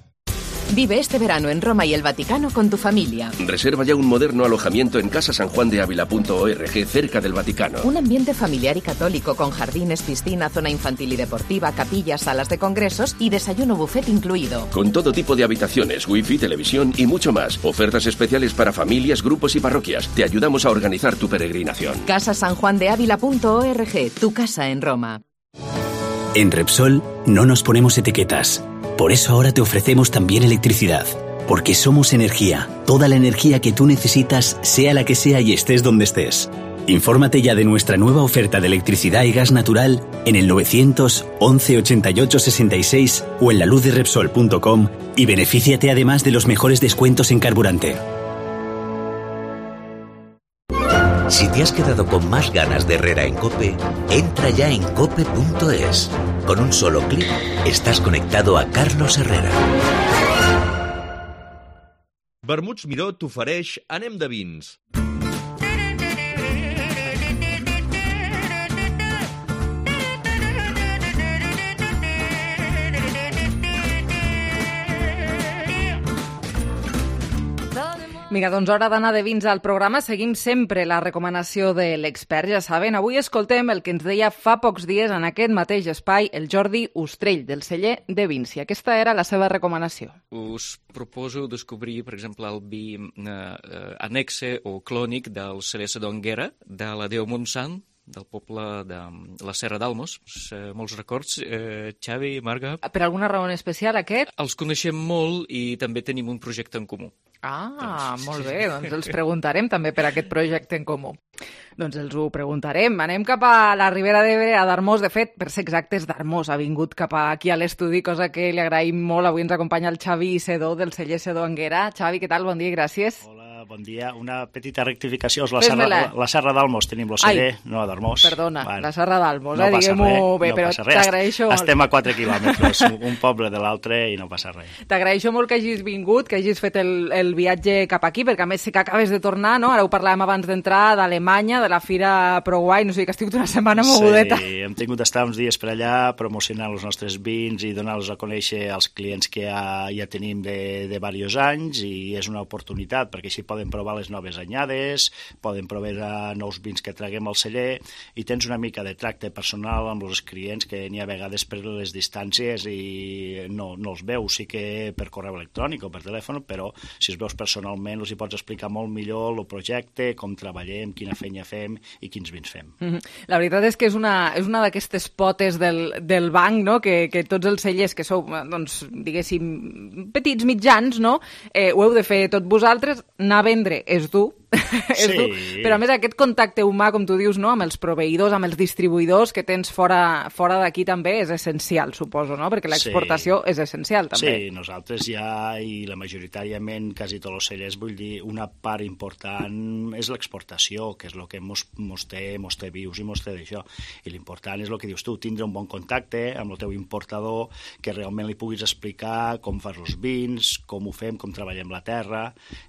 Vive este verano en Roma y el Vaticano con tu familia. Reserva ya un moderno alojamiento en casa san juan de ávila punto org, cerca del Vaticano. Un ambiente familiar y católico con jardines, piscina, zona infantil y deportiva, capillas, salas de congresos y desayuno buffet incluido. Con todo tipo de habitaciones, wifi, televisión y mucho más. Ofertas especiales para familias, grupos y parroquias. Te ayudamos a organizar tu peregrinación. casa san juan de ávila punto org, tu casa en Roma. En Repsol no nos ponemos etiquetas. Por eso ahora te ofrecemos también electricidad. Porque somos energía. Toda la energía que tú necesitas, sea la que sea y estés donde estés. Infórmate ya de nuestra nueva oferta de electricidad y gas natural en el novecientos, once, ochenta y ocho, sesenta y seis o en la luz de repsol punto com y benefíciate además de los mejores descuentos en carburante. Si te has quedado con más ganas de Herrera en COPE, entra ya en cope punto es. Con un solo clic estás conectado a Carlos Herrera. Vermuts Miró t'ofereix Anem de vins. Vinga, doncs hora d'anar de vins al programa. Seguim sempre la recomanació de l'expert, ja saben. Avui escoltem el que ens deia fa pocs dies en aquest mateix espai el Jordi Ustrell, del celler de vins. I aquesta era la seva recomanació. Us proposo descobrir, per exemple, el vi eh, eh, anexe o clònic del celler Sedonguera, de la Déu Montsant, del poble de la Serra d'Almos. Eh, molts records, eh, Xavi, Marga. Per alguna raó en especial, aquest? Els coneixem molt i també tenim un projecte en comú. Ah, doncs, molt bé, doncs els preguntarem també per aquest projecte en comú. Doncs els ho preguntarem. Anem cap a la Ribera d'Ebre, a Darmós. De fet, per ser exactes, Darmós ha vingut cap aquí a l'estudi, cosa que li agraïm molt. Avui ens acompanya el Xavi Sedó, del celler Sedó Anguera. Xavi, què tal? Bon dia i gràcies. Hola, bon dia. Una petita rectificació. És la serra, la, la serra d'Almos. Tenim el celler, no a Darmós. Perdona, bueno, la serra d'Almos, no eh? Diguem-ho bé, no però t'agraeixo molt. Estem a quatre quilòmetres, un poble de l'altre, i no passa res. T'agraeixo molt que hagis vingut, que hagis fet el, el viatge cap aquí, perquè a més sé que acabes de tornar, no? Ara ho parlàvem abans d'entrar, d'Alemanya, de la Fira Proguai, no sé, que estic una setmana mogudeta. Sí, hem tingut d'estar uns dies per allà promocionant els nostres vins i donar-los a conèixer als clients que ja, ja tenim de, de diversos anys, i és una oportunitat, perquè així poden provar les noves anyades, poden provar nous vins que traguem al celler, i tens una mica de tracte personal amb els clients que n'hi ha vegades per les distàncies i no, no els veus, sí que per correu electrònic o per telèfon, però si els veus personalment els hi pots explicar molt millor el projecte, com treballem, quina feina fem i quins vins fem. Mm-hmm. La veritat és que és una, és una d'aquestes potes del, del banc, no? que, que tots els cellers que sou, doncs, diguéssim, petits, mitjans, no? eh, ho heu de fer tot vosaltres, anar a vendre és dur, és sí. dur, però a més aquest contacte humà, com tu dius, no? amb els proveïdors, amb els distribuïdors que tens fora, fora d'aquí també és essencial, suposo, no? perquè l'exportació sí. és essencial també. Sí, nosaltres ja, i la majoritàriament, quasi tots els cellers, vull dir, una part important és l'exportació, que és el que mos, mos, té, mos té vius i mos té d'això. I l'important és el que dius tu, tindre un bon contacte amb el teu importador, que realment li puguis explicar com fas els vins, com ho fem, com treballem la terra,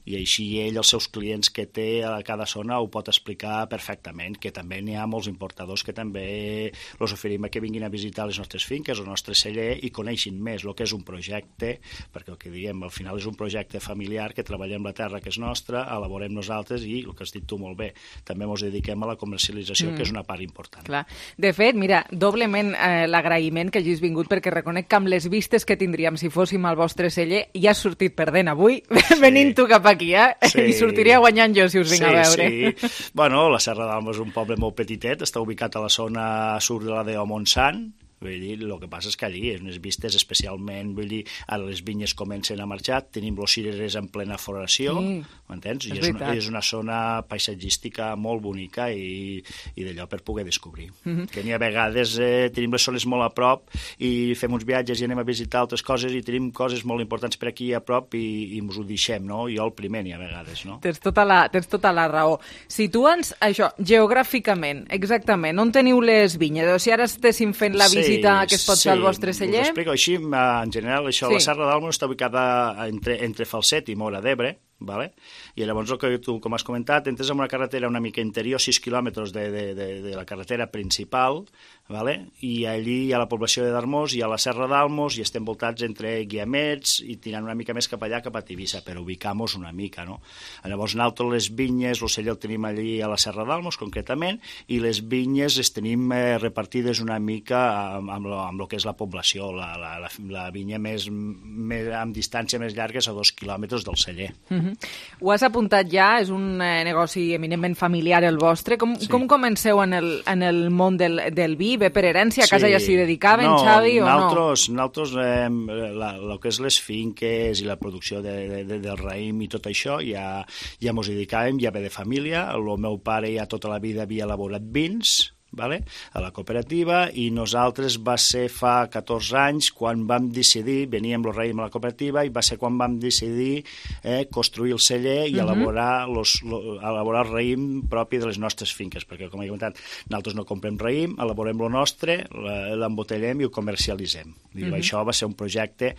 i així ell, els seus clients que té a cada zona ho pot explicar perfectament, que també n'hi ha molts importadors que també els oferim que vinguin a visitar les nostres finques, el nostre celler, i coneixin més el que és un projecte, perquè el que diem, al final és un projecte familiar que treballem la terra que és nostra, elaborem nosaltres i, el que has dit tu molt bé, també ens dediquem a la comercialització, mm. que és una part important. Clar. De fet, mira, doblement eh, l'agraïment que hagis vingut, perquè reconec que amb les vistes que tindríem si fóssim al vostre celler, ja has sortit perdent avui, sí. venint tu cap aquí, eh? Sí. I sortiria guanyant jo si us vinc sí, a veure. Sí, bueno, la Serra d'Alma és un poble molt petitet, està ubicat a la zona sud de la de Montsant, vull dir, el que passa és que allí, en les vistes especialment, vull dir, ara les vinyes comencen a marxar, tenim los cirerers en plena floració, sí, m'entens? I és una, és una zona paisatgística molt bonica i, i d'allò per poder descobrir. Mm-hmm. Que n'hi ha vegades eh, tenim les zones molt a prop i fem uns viatges i anem a visitar altres coses i tenim coses molt importants per aquí a prop i, i ens ho deixem, no? Jo el primer n'hi ha vegades, no? Tens tota la, tens tota la raó. Situa'ns, això, geogràficament, exactament, on teniu les vinyes? O sigui, ara estéssim fent la visita sí, que es pot sí, fer al vostre celler? Us explico així, en general, això, sí. La Serra d'Alma està ubicada entre, entre Falset i Móra d'Ebre, vale? I llavors el que tu, com has comentat, entres en una carretera una mica interior, sis quilòmetres de, de, de, de la carretera principal, vale? I allí hi ha la població de Darmós, hi ha la Serra d'Almos, i estem voltats entre Guiamets i tirant una mica més cap allà, cap a Tivissa, per ubicar-nos una mica, no? Llavors nosaltres les vinyes, el celler el tenim allí a la Serra d'Almos, concretament, i les vinyes les tenim eh, repartides una mica amb, amb, lo, amb lo que és la població, la, la, la, la vinya més, més, amb distància més llarga és a dos quilòmetres del celler. Mm-hmm. Ho has apuntat ja, és un eh, negoci eminentment familiar el vostre. Com, sí. com comenceu en el, en el món del, del vi? Ve per herència? A casa sí. ja s'hi dedicaven, no, Xavi, o naltros, no? Nosaltres, eh, el que és les finques i la producció de, de, de, del raïm i tot això, ja, ja mos dedicàvem, ja ve de família. El meu pare ja tota la vida havia elaborat vins, vale? A la cooperativa, i nosaltres va ser fa catorze anys quan vam decidir, veníem el raïm a la cooperativa, i va ser quan vam decidir eh, construir el celler i uh-huh. elaborar, los, lo, elaborar el raïm propi de les nostres finques, perquè com he comentat, nosaltres no comprem raïm, elaborem el nostre, l'embotellem i ho comercialitzem. Diu, uh-huh. Això va ser un projecte,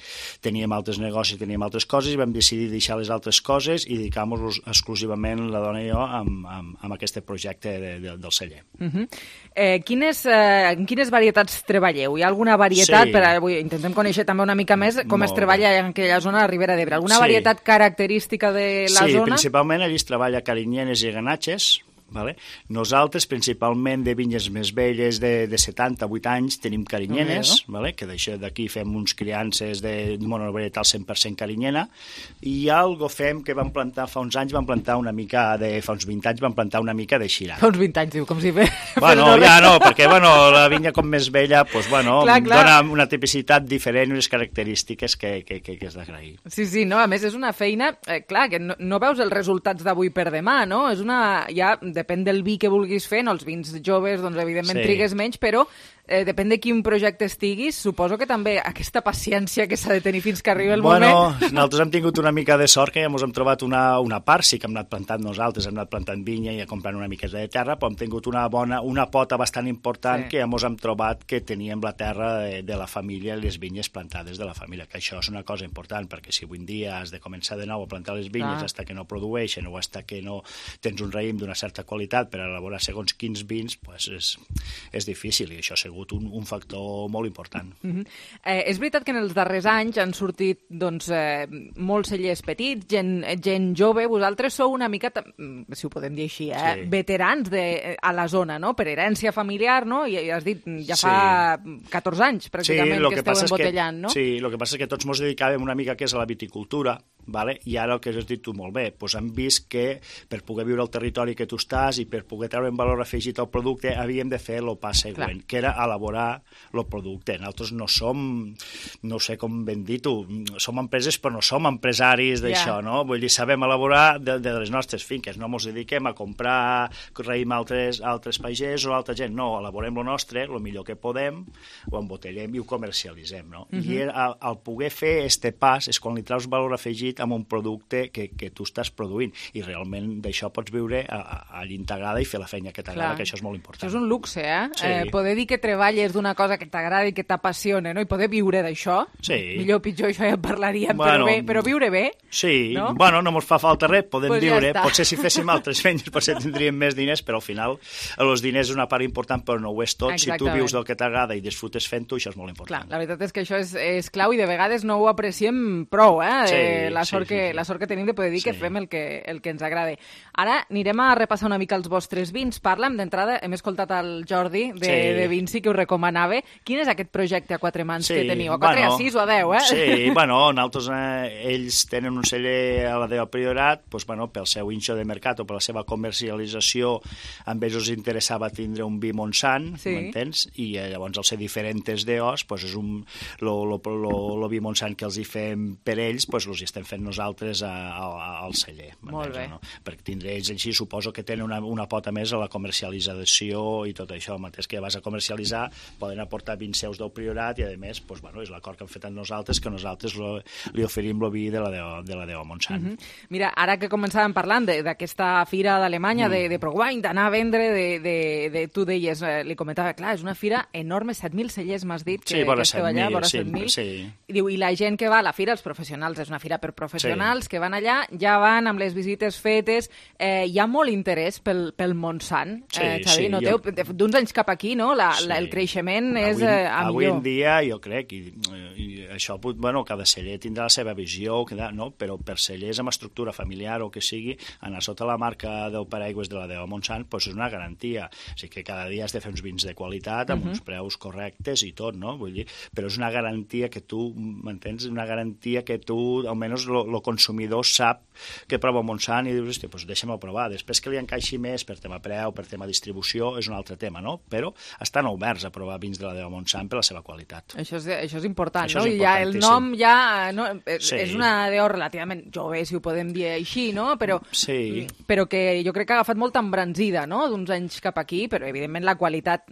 teníem altres negocis, teníem altres coses, i vam decidir deixar les altres coses i dedicar-nos exclusivament, la dona i jo, amb, amb, amb aquest projecte de, de, del celler. Uh-huh. Eh, quines, eh, en quines varietats treballeu? Hi ha alguna varietat? Sí. Per, avui intentem conèixer també una mica més com Molt es treballa bé. En aquella zona de Ribera d'Ebre. Alguna sí. varietat característica de la sí, zona? Sí, principalment allí es treballa carinyenes i ganatges. Vale? Nosaltres, principalment de vinyes més velles de, de setanta, vuit anys, tenim carinyenes, okay, no? Vale? Que d'aquí fem uns criances de monovarietal cent per cent carinyena, i algo fem que vam plantar fa uns anys, vam plantar una mica de, fa uns vint anys vam plantar una mica de Shiraz. Fa uns vint anys, diu, com si ve... Bueno, ja no, perquè bueno, la vinya com més vella, pues, bueno, clar, clar. Dona una tipicitat diferent i unes característiques que, que, que, que és d'agrair. Sí, sí, no, a més és una feina, eh, clar, que no, no veus els resultats d'avui per demà, no? És una... Ja, depèn del vi que vulguis fer, no? Els vins joves, doncs, evidentment, sí. trigues menys, però eh, depèn de quin projecte estiguis, suposo que també aquesta paciència que s'ha de tenir fins que arribi el bueno, moment... Bueno, nosaltres hem tingut una mica de sort que ja ens hem trobat una, una part, sí que hem anat plantant nosaltres, hem anat plantant vinya i comprant una miqueta de terra, però hem tingut una bona, una pota bastant important sí. que ja ens hem trobat que teníem la terra de, de la família, les vinyes plantades de la família, que això és una cosa important, perquè si avui en dia has de començar de nou a plantar les vinyes ah. hasta que no produeixen o hasta que no tens un raïm d'una certa qualitat per elaborar segons quins vins, pues és, és difícil, i això segur sigut un, un factor molt important. Mm-hmm. eh, és veritat que en els darrers anys han sortit doncs, eh, molts cellers petits, gent, gent jove. Vosaltres sou una mica, si ho podem dir així, eh, sí. veterans de, a la zona, no? Per herència familiar, no? I has dit, ja fa sí. catorze anys, pràcticament, sí, que, que esteu embotellant, que, no? Sí, el que passa és que tots ens dedicàvem una mica que és a la viticultura, vale? I ara el que has dit tu molt bé, doncs hem vist que per poder viure al territori que tu estàs i per poder treure un valor afegit al producte havíem de fer el pas següent, Clar. que era elaborar el producte. Nosaltres no som, no sé com ben dir tu, som empreses però no som empresaris d'això, yeah. no? Vull dir, sabem elaborar de, de les nostres finques, no ens dediquem a comprar raïm a altres, altres pagès o altra gent, no, elaborem el nostre, el millor que podem, ho embotellem i ho comercialitzem, no? Mm-hmm. I al, al poder fer este pas és quan li traus valor afegit amb un producte que, que tu estàs produint i realment d'això pots viure a, a, a l'integrada i fer la feina que t'agrada, que això és molt important. Això és un luxe, eh? Sí. eh poder dir que treballes d'una cosa que t'agrada i que t'apassiona, no? I poder viure d'això. Sí. Millor o pitjor, això ja en parlaríem, bueno, però, bé, però viure bé. Sí, no? Bueno, no ens fa falta res, podem pues viure. Ja potser si féssim altres feines, potser tindríem més diners, però al final els diners és una part important, però no ho és tot. Exactament. Si tu vius del que t'agrada i disfrutes fent-ho, això és molt important. Clar, la veritat és que això és, és clau i de vegades no ho apreciem prou, eh? Sí, eh la, sort sí, que, sí, sí. la sort que tenim de poder dir sí. que fem el que, el que ens agrada. Ara anirem a repassar una mica els vostres vins. Parlem d'entrada, hem escoltat el Jordi de, sí. de Vinci, que ho recomanava. Quin és aquest projecte a quatre mans sí. que teniu? A quatre, bueno, a sis o a deu, eh? Sí, bueno, nosaltres, eh, ells tenen un celler a la Déu Priorat, doncs, bueno, pel seu inxo de mercat o per la seva comercialització, amb ells us interessava tindre un vi Montsant, sí. m'entens? I eh, llavors, al ser diferents deos, doncs és un, lo, lo, lo, lo vi Montsant que els hi fem per ells, doncs els hi estem fent nosaltres a, a, al celler. Molt bé. No? Perquè tindre ells així, suposo que tenen una, una pota més a la comercialització i tot això. Mateix que vas a comercialitzar, poden aportar vins seus del Priorat i, a més, doncs, bueno, és l'acord que han fet amb nosaltres, que nosaltres lo, li oferim el vi de la Déu, de la Déu Montsant. Mm -hmm. Mira, ara que començàvem parlant d'aquesta fira d'Alemanya, mm. de, de ProWine, d'anar a vendre, de, de, de, tu deies, eh, li comentava, clar, és una fira enorme, set mil cellers m'has dit, que, sí, que esteu allà, vora sí, set mil. Sí. I diu, i la gent que va a la fira, els professionals, és una fira per professionals, sí. que van allà, ja van amb les visites fetes, eh, hi ha molt interès pel, pel Montsant, sí, eh, Xavi, sí, noteu, jo... d'uns anys cap aquí, no? La, sí. la, el creixement és avui, eh, a avui millor. en dia, jo crec, i, i això, bueno, cada celler tindrà la seva visió, no? Però per cellers amb estructura familiar o que sigui, anar sota la marca del paraigües de la Déu Montsant, doncs és una garantia. O sigui que cada dia has de fer uns vins de qualitat, amb uh -huh. uns preus correctes i tot, no? Vull dir, però és una garantia que tu, m'entens? Una garantia que tu, almenys el consumidor sap que prova Montsant i dius, hòstia, doncs deixa'm-ho provar. Després que li encaixi més per tema preu, per tema distribució, és un altre tema, no? Però estan oberts a provar vins de la Déu Montsant per la seva qualitat. Això és, això és important, això no? És I ja el nom ja no, sí. és una deu relativament jove, si ho podem dir així, no? Però, sí. però que jo crec que ha agafat molta embranzida, no?, d'uns anys cap aquí, però evidentment la qualitat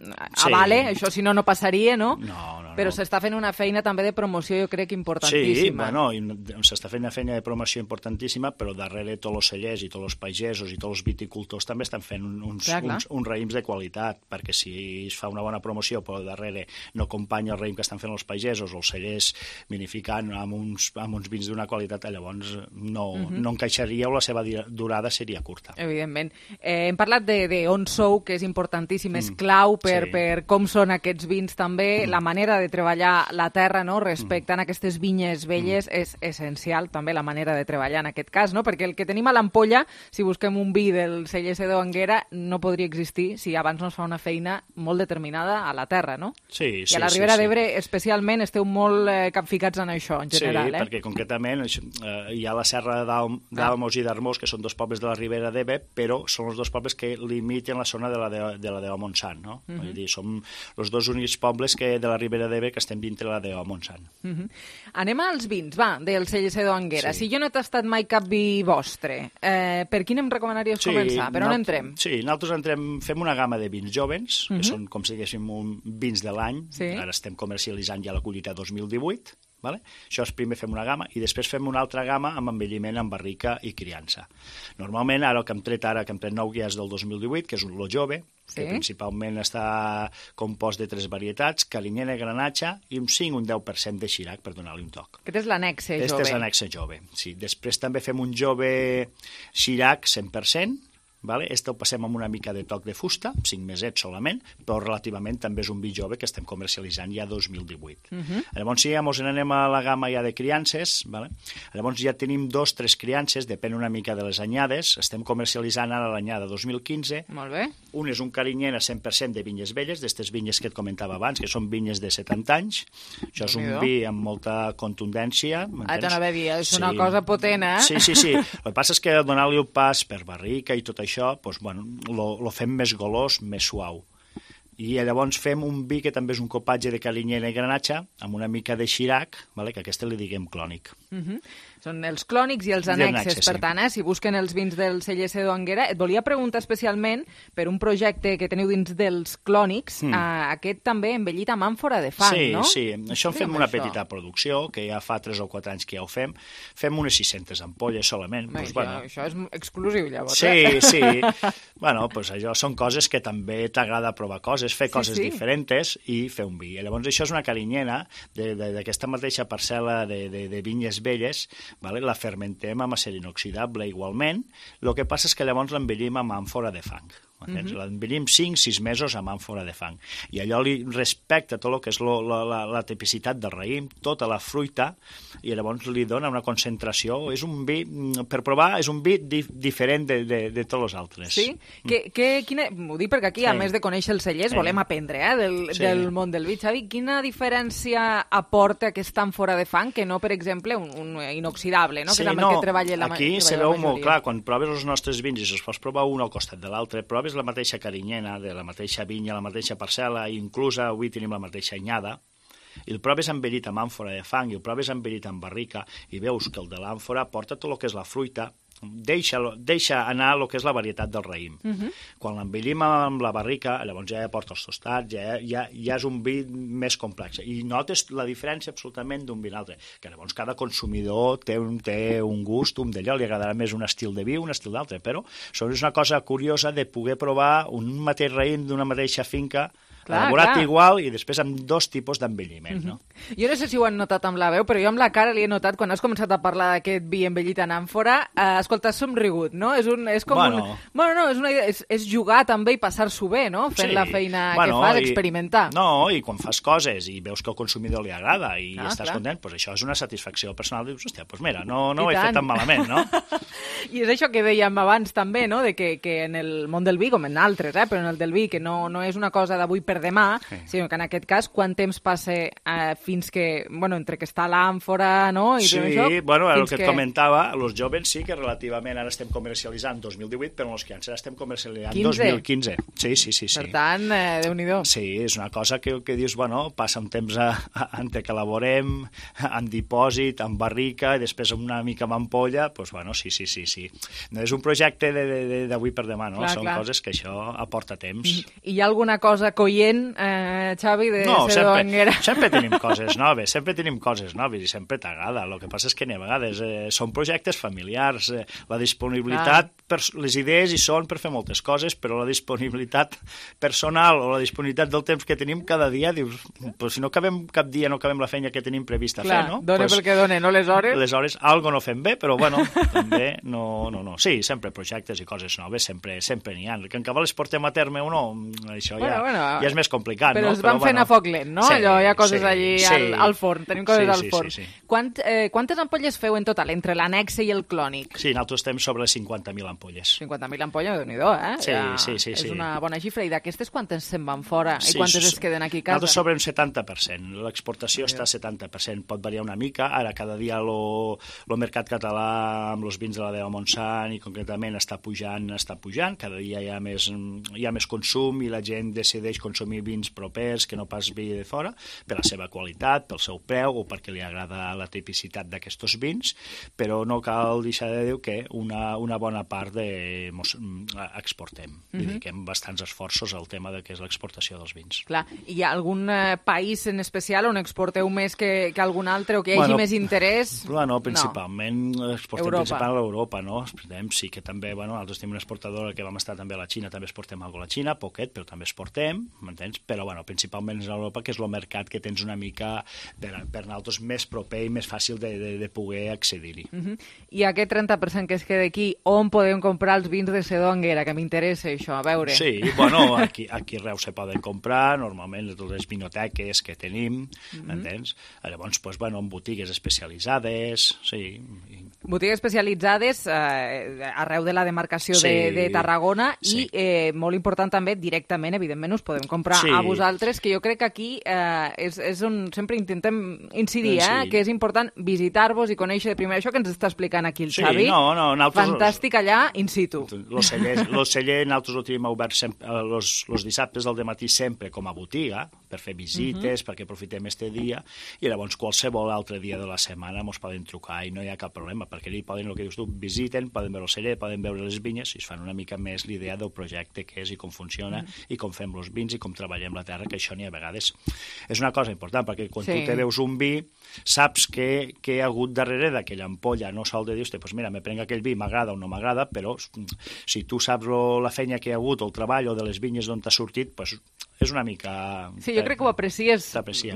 avale, sí. això si no no passaria, no? No, no, però no. s'està fent una feina també de promoció, jo crec, importantíssima. Sí, bueno, s'està fent una feina de promoció importantíssima, però darrere tots els cellers i tots els pagesos i tots els viticultors també estan fent uns, clar, clar. uns, uns raïms de qualitat, perquè si es fa una bona promoció però darrere no acompanya el raïm que estan fent els pagesos o els cellers vinificant amb uns, amb uns vins d'una qualitat, llavors no, uh -huh. no encaixaria o la seva durada seria curta. Evidentment. Eh, hem parlat de, de on sou, que és importantíssim, és clau per, sí. per com són aquests vins també, mm. la manera de treballar la terra, no?, respectant mm. aquestes vinyes velles, mm. és essencial també la manera de treballar en aquest cas, no?, perquè el que tenim a l'ampolla, si busquem un vi del celler Sedó Anguera, no podria existir si abans no es fa una feina molt determinada a la terra, no? Sí, sí, I a la Ribera sí, d'Ebre, sí. especialment, esteu molt eh, capficats en això, en general, sí, eh? Sí, perquè concretament eh, hi ha la Serra d'Almos i d'Armós, que són dos pobles de la Ribera d'Ebre, però són els dos pobles que limiten la zona de la de, de la Déu Montsant, no? Uh -huh. Vull dir, som els dos únics pobles que de la Ribera d'Ebre que estem dintre la Déu Montsant. Uh -huh. Anem als vins, va, del celler Sedó Anguera. Sí. Si jo no he tastat mai cap vi vostre, eh, per quin em recomanaries sí, començar? Per on entrem? Sí, nosaltres entrem, fem una gamma de vins jovens, que uh -huh. són, com si diguéssim, un, vins de l'any. Sí. Ara estem comercialitzant ja la collita dos mil divuit. Vale? Això és primer fem una gamma i després fem una altra gamma amb envelliment en barrica i criança. Normalment, ara el que hem tret ara, que hem tret nou ja és del dos mil divuit, que és lo jove, sí. que principalment està compost de tres varietats, carinyena, granatge i un cinc, un deu per cent de xirac, per donar-li un toc. Aquest és l'anexe jove. Aquest és l'anexe jove, sí. Després també fem un jove xirac cent per cent, vale? Este el passem amb una mica de toc de fusta, cinc mesets solament, però relativament també és un vi jove que estem comercialitzant ja dos mil divuit. Uh-huh. Llavors, si ja ens n'anem a la gamma ja de criances, vale? Llavors ja tenim dos, tres criances, depèn una mica de les anyades, estem comercialitzant ara l'anyada dos mil quinze. Molt bé. Un és un carinyena cent per cent de vinyes velles, d'aquestes vinyes que et comentava abans, que són vinyes de setanta anys. Això és un vi amb molta contundència. Ah, t'anava a dir, és una cosa potent, eh? Sí, sí, sí. El que passa és que donar-li el pas per barrica i tot això, doncs, bueno, lo, lo fem més golós, més suau. I llavors fem un vi que també és un copatge de carinyena i granatge, amb una mica de xirac, vale? Que a aquesta li diguem clònic. Uh-huh. Són els clònics i els annexes, annexes per sí. tant, eh, si busquen els vins del C L S d'Anguera. Et volia preguntar especialment per un projecte que teniu dins dels clònics, mm. eh, aquest també envellit amb àmfora de fang, sí, no? Sí, sí. Això en fem Digue'm una això. petita producció, que ja fa tres o quatre anys que ja ho fem. Fem unes sis-centes ampolles solament. Home, Pues, això, bueno. això és exclusiu, llavors. Sí, eh? sí. Bueno, pues allò són coses que també t'agrada provar coses, fer Sí, coses sí. diferents i fer un vi. Llavors això és una carinyena d'aquesta mateixa parcel·la de, de, de vinyes velles, vale? La fermentem amb acer inoxidable igualment, el que passa és que llavors l'envellim amb àmfora de fang. Uh-huh. L'envellim cinc sis mesos amb àmfora de fang. I allò li respecta tot el que és lo, la, la, la tipicitat del raïm, tota la fruita, i llavors li dona una concentració. És un vi, per provar, és un vi di, diferent de, de, de tots els altres. Sí? Mm. Que, que, quina, ho dic perquè aquí, sí. a més de conèixer els cellers, sí. volem aprendre eh, del, Sí. del món del vi. Xavi, quina diferència aporta aquesta àmfora de fang que no, per exemple, un, un inoxidable, no? Sí, que és amb no, el que treballa la, aquí treballa se la veu majoria. molt clar, quan proves els nostres vins i se'ls pots provar un al costat de l'altre, proves la mateixa carinyena, de la mateixa vinya, la mateixa parcel·la, i inclús avui tenim la mateixa anyada, i el proves envellit amb àmfora de fang i el proves envellit amb barrica, i veus que el de l'àmfora porta tot el que és la fruita, deixa, deixa anar el que és la varietat del raïm. Uh-huh. Quan l'envellim amb la barrica, llavors ja porta els tostats, ja, ja, ja és un vi més complex. I notes la diferència absolutament d'un vi a l'altre, que llavors cada consumidor té un, té un gust, un d'allò, li agradarà més un estil de vi, un estil d'altre, però això és una cosa curiosa de poder provar un mateix raïm d'una mateixa finca, Clar, elaborat clar. igual i després amb dos tipus d'envelliment, no? Jo no sé si ho han notat amb la veu, però jo amb la cara li he notat, quan has començat a parlar d'aquest vi envellit en àmfora, eh, escolta, has somrigut, no? És, un, és com Bueno. un... Bueno, no, és, una idea, és, és jugar també i passar-s'ho bé, no? Fent Sí. la feina Bueno, que fas, i- experimentar. No, i quan fas coses i veus que al consumidor li agrada i Ah, estàs clar. content, doncs això és una satisfacció personal. Dius, hòstia, doncs mira, no, no ho I he tant. fet tan malament, no? I és això que dèiem abans també, no? De que, que en el món del vi, com en altres, eh? però en el del vi, que no, no és una cosa d'avui per demà, Sí. sinó que en aquest cas, quant temps passa eh, fins que, bueno, entre que està l'àmfora, no? I Sí, tot això, bueno, el fins que et comentava, els joves sí que relativament ara estem comercialitzant dos mil divuit, però els criances ara estem comercialitzant quinze. dos mil quinze. Sí, sí, sí. sí. Per tant, eh, Déu-n'hi-do. Sí, és una cosa que, que dius, bueno, passa un temps a, a, entre que elaborem, en dipòsit, en barrica, i després una mica amb ampolla, doncs, bueno, sí, sí, sí, sí. No és un projecte de- de- de- d'avui per demà, no? Clar, Són clar. coses que això aporta temps. I hi ha alguna cosa coient, eh, Xavi, de No, ser sempre, d'Anguera? sempre tenim coses noves, sempre tenim coses noves i sempre t'agrada. El que passa és que a vegades eh, són projectes familiars, eh, la disponibilitat, per, les idees hi són per fer moltes coses, però la disponibilitat personal o la disponibilitat del temps que tenim cada dia, dius, pues, si no acabem cap dia, no acabem la feina que tenim prevista Clar, fer, no? dona Pues, pel que dona, no les hores? les hores, algo no fem bé, però bueno, també no, no, no. Sí, sempre projectes i coses noves, sempre sempre n'hi ha. Que encara les portem a terme o no, això Bueno, ja, bueno, ja és més complicat, però no? es van fent a foc lent, no? Sí, Allò, hi ha coses sí, allí sí. al, al forn, tenim coses Sí, al sí, forn. sí, sí. Quant, eh, quantes ampolles feu en total, entre l'annexe i el clònic? Sí, nosaltres estem sobre cinquanta mil ampolles. cinquanta mil ampolles, Déu-n'hi-do, eh? Sí, Ja sí, sí, És sí. una bona xifra. I d'aquestes quantes se'n van fora? Sí, I quantes s- es queden aquí a casa? Nosaltres sobre un setanta per cent. L'exportació està a setanta per cent. Pot variar una mica. Ara, cada dia el mercat català amb els vins de la Deva Montsant i concretament està pujant, està pujant. Cada dia hi ha més, hi ha més consum i la gent decideix consumir vins propers que no pas vi de fora per la seva qualitat, pel seu preu o perquè li agrada la tipicitat d'aquests vins, però no cal deixar de dir que una, una bona part de mos, exportem. Mhm. Dediquem bastants esforços al tema de què és l'exportació dels vins. Clar, hi ha algun eh, país en especial on exporteu més que, que algun altre o que hi hagi Bueno, més interès? Bueno, principalment no. exportem Europa. principalment a l'Europa, no? Exportem, sí que també, bueno, nosaltres tenim una exportadora que vam estar també a la Xina, també exportem alguna a la Xina, poquet, però també exportem, m'entens? Però, bueno, principalment és a Europa, que és el mercat que tens una mica per, per nosaltres més proper i més fàcil de, de, de poder accedir-hi. Uh -huh. I aquest trenta per cent que es queda aquí, on podem podem comprar els vins de Sedó Anguera, que m'interessa això, a veure. Sí, bueno, aquí, aquí a Reus se poden comprar, normalment les vinoteques que tenim, mm-hmm. entens? Llavors, pues, bueno, en botigues especialitzades, sí. Botigues especialitzades eh, arreu de la demarcació sí. de, de Tarragona sí. i, eh, molt important també, directament, evidentment, us podem comprar sí. a vosaltres, que jo crec que aquí eh, és, és on sempre intentem incidir, eh, sí. que és important visitar-vos i conèixer de primer això que ens està explicant aquí el sí, Xavi. No, no, nosaltres... Fantàstic allà, in situ. Los cellers, los cellers nosaltres ho tenim obert sempre, los, los dissabtes del dematí sempre com a botiga, per fer visites, uh-huh. perquè aprofitem este dia, i llavors qualsevol altre dia de la setmana ens poden trucar i no hi ha cap problema, perquè ells poden, el que dius tu, visiten, poden veure el celler, poden veure les vinyes i es fan una mica més l'idea del projecte que és i com funciona mm. i com fem els vins i com treballem la terra, que això n'hi ha a vegades és una cosa important, perquè quan sí. tu te veus un vi saps que, que hi ha hagut darrere d'aquella ampolla, no sol de dir, pues mira, me prenc aquell vi, m'agrada o no m'agrada, però si tu saps lo, la feina que hi ha hagut, el treball o de les vinyes d'on t'ha sortit, pues és una mica... Sí, jo crec que ho aprecies,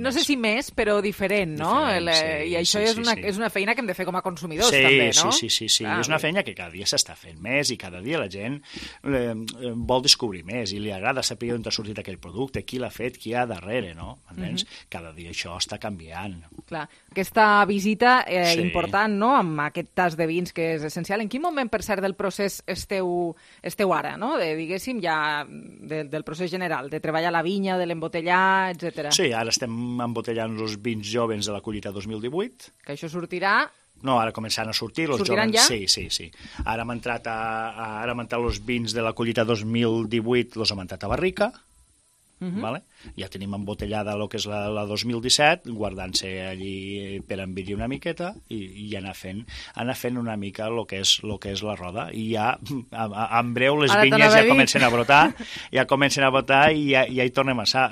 no sé si més, però diferent, no? Diferent, sí, I això sí, és, una, sí. és una feina que hem de fer com a consumidors, sí, també, no? Sí, sí, sí, sí. Clar, és una feina que cada dia s'està fent més i cada dia la gent eh, vol descobrir més i li agrada saber on ha sortit aquell producte, qui l'ha fet, qui hi ha darrere, no? Entens? Mm-hmm. Cada dia això està canviant. Clar, aquesta visita eh, sí. important, no?, amb aquest tas de vins que és essencial. En quin moment, per cert, del procés esteu, esteu ara, no?, de, diguéssim, ja de, del procés general, de treballar la vinya, de l'embotellar, etcètera. Sí, ara estem embotellant els vins jovens de la collita dos mil divuit. Que això sortirà... No, ara començant a sortir. Los Sortiran jovens, ja? Sí, sí, sí. Ara hem entrat, a, a, ara hem entrat els vins de la collita dos mil divuit, los hem entrat a barrica, uh-huh. vale? Ja tenim embotellada el que és la, la dos mil disset, guardant-se allí per envidir una miqueta i, i anar fent anar fent una mica el que és, lo que és la roda. I ja, a, a, en breu, les ara vinyes ja comencen a brotar, ja comencen a brotar i ja, ja hi tornem a ser.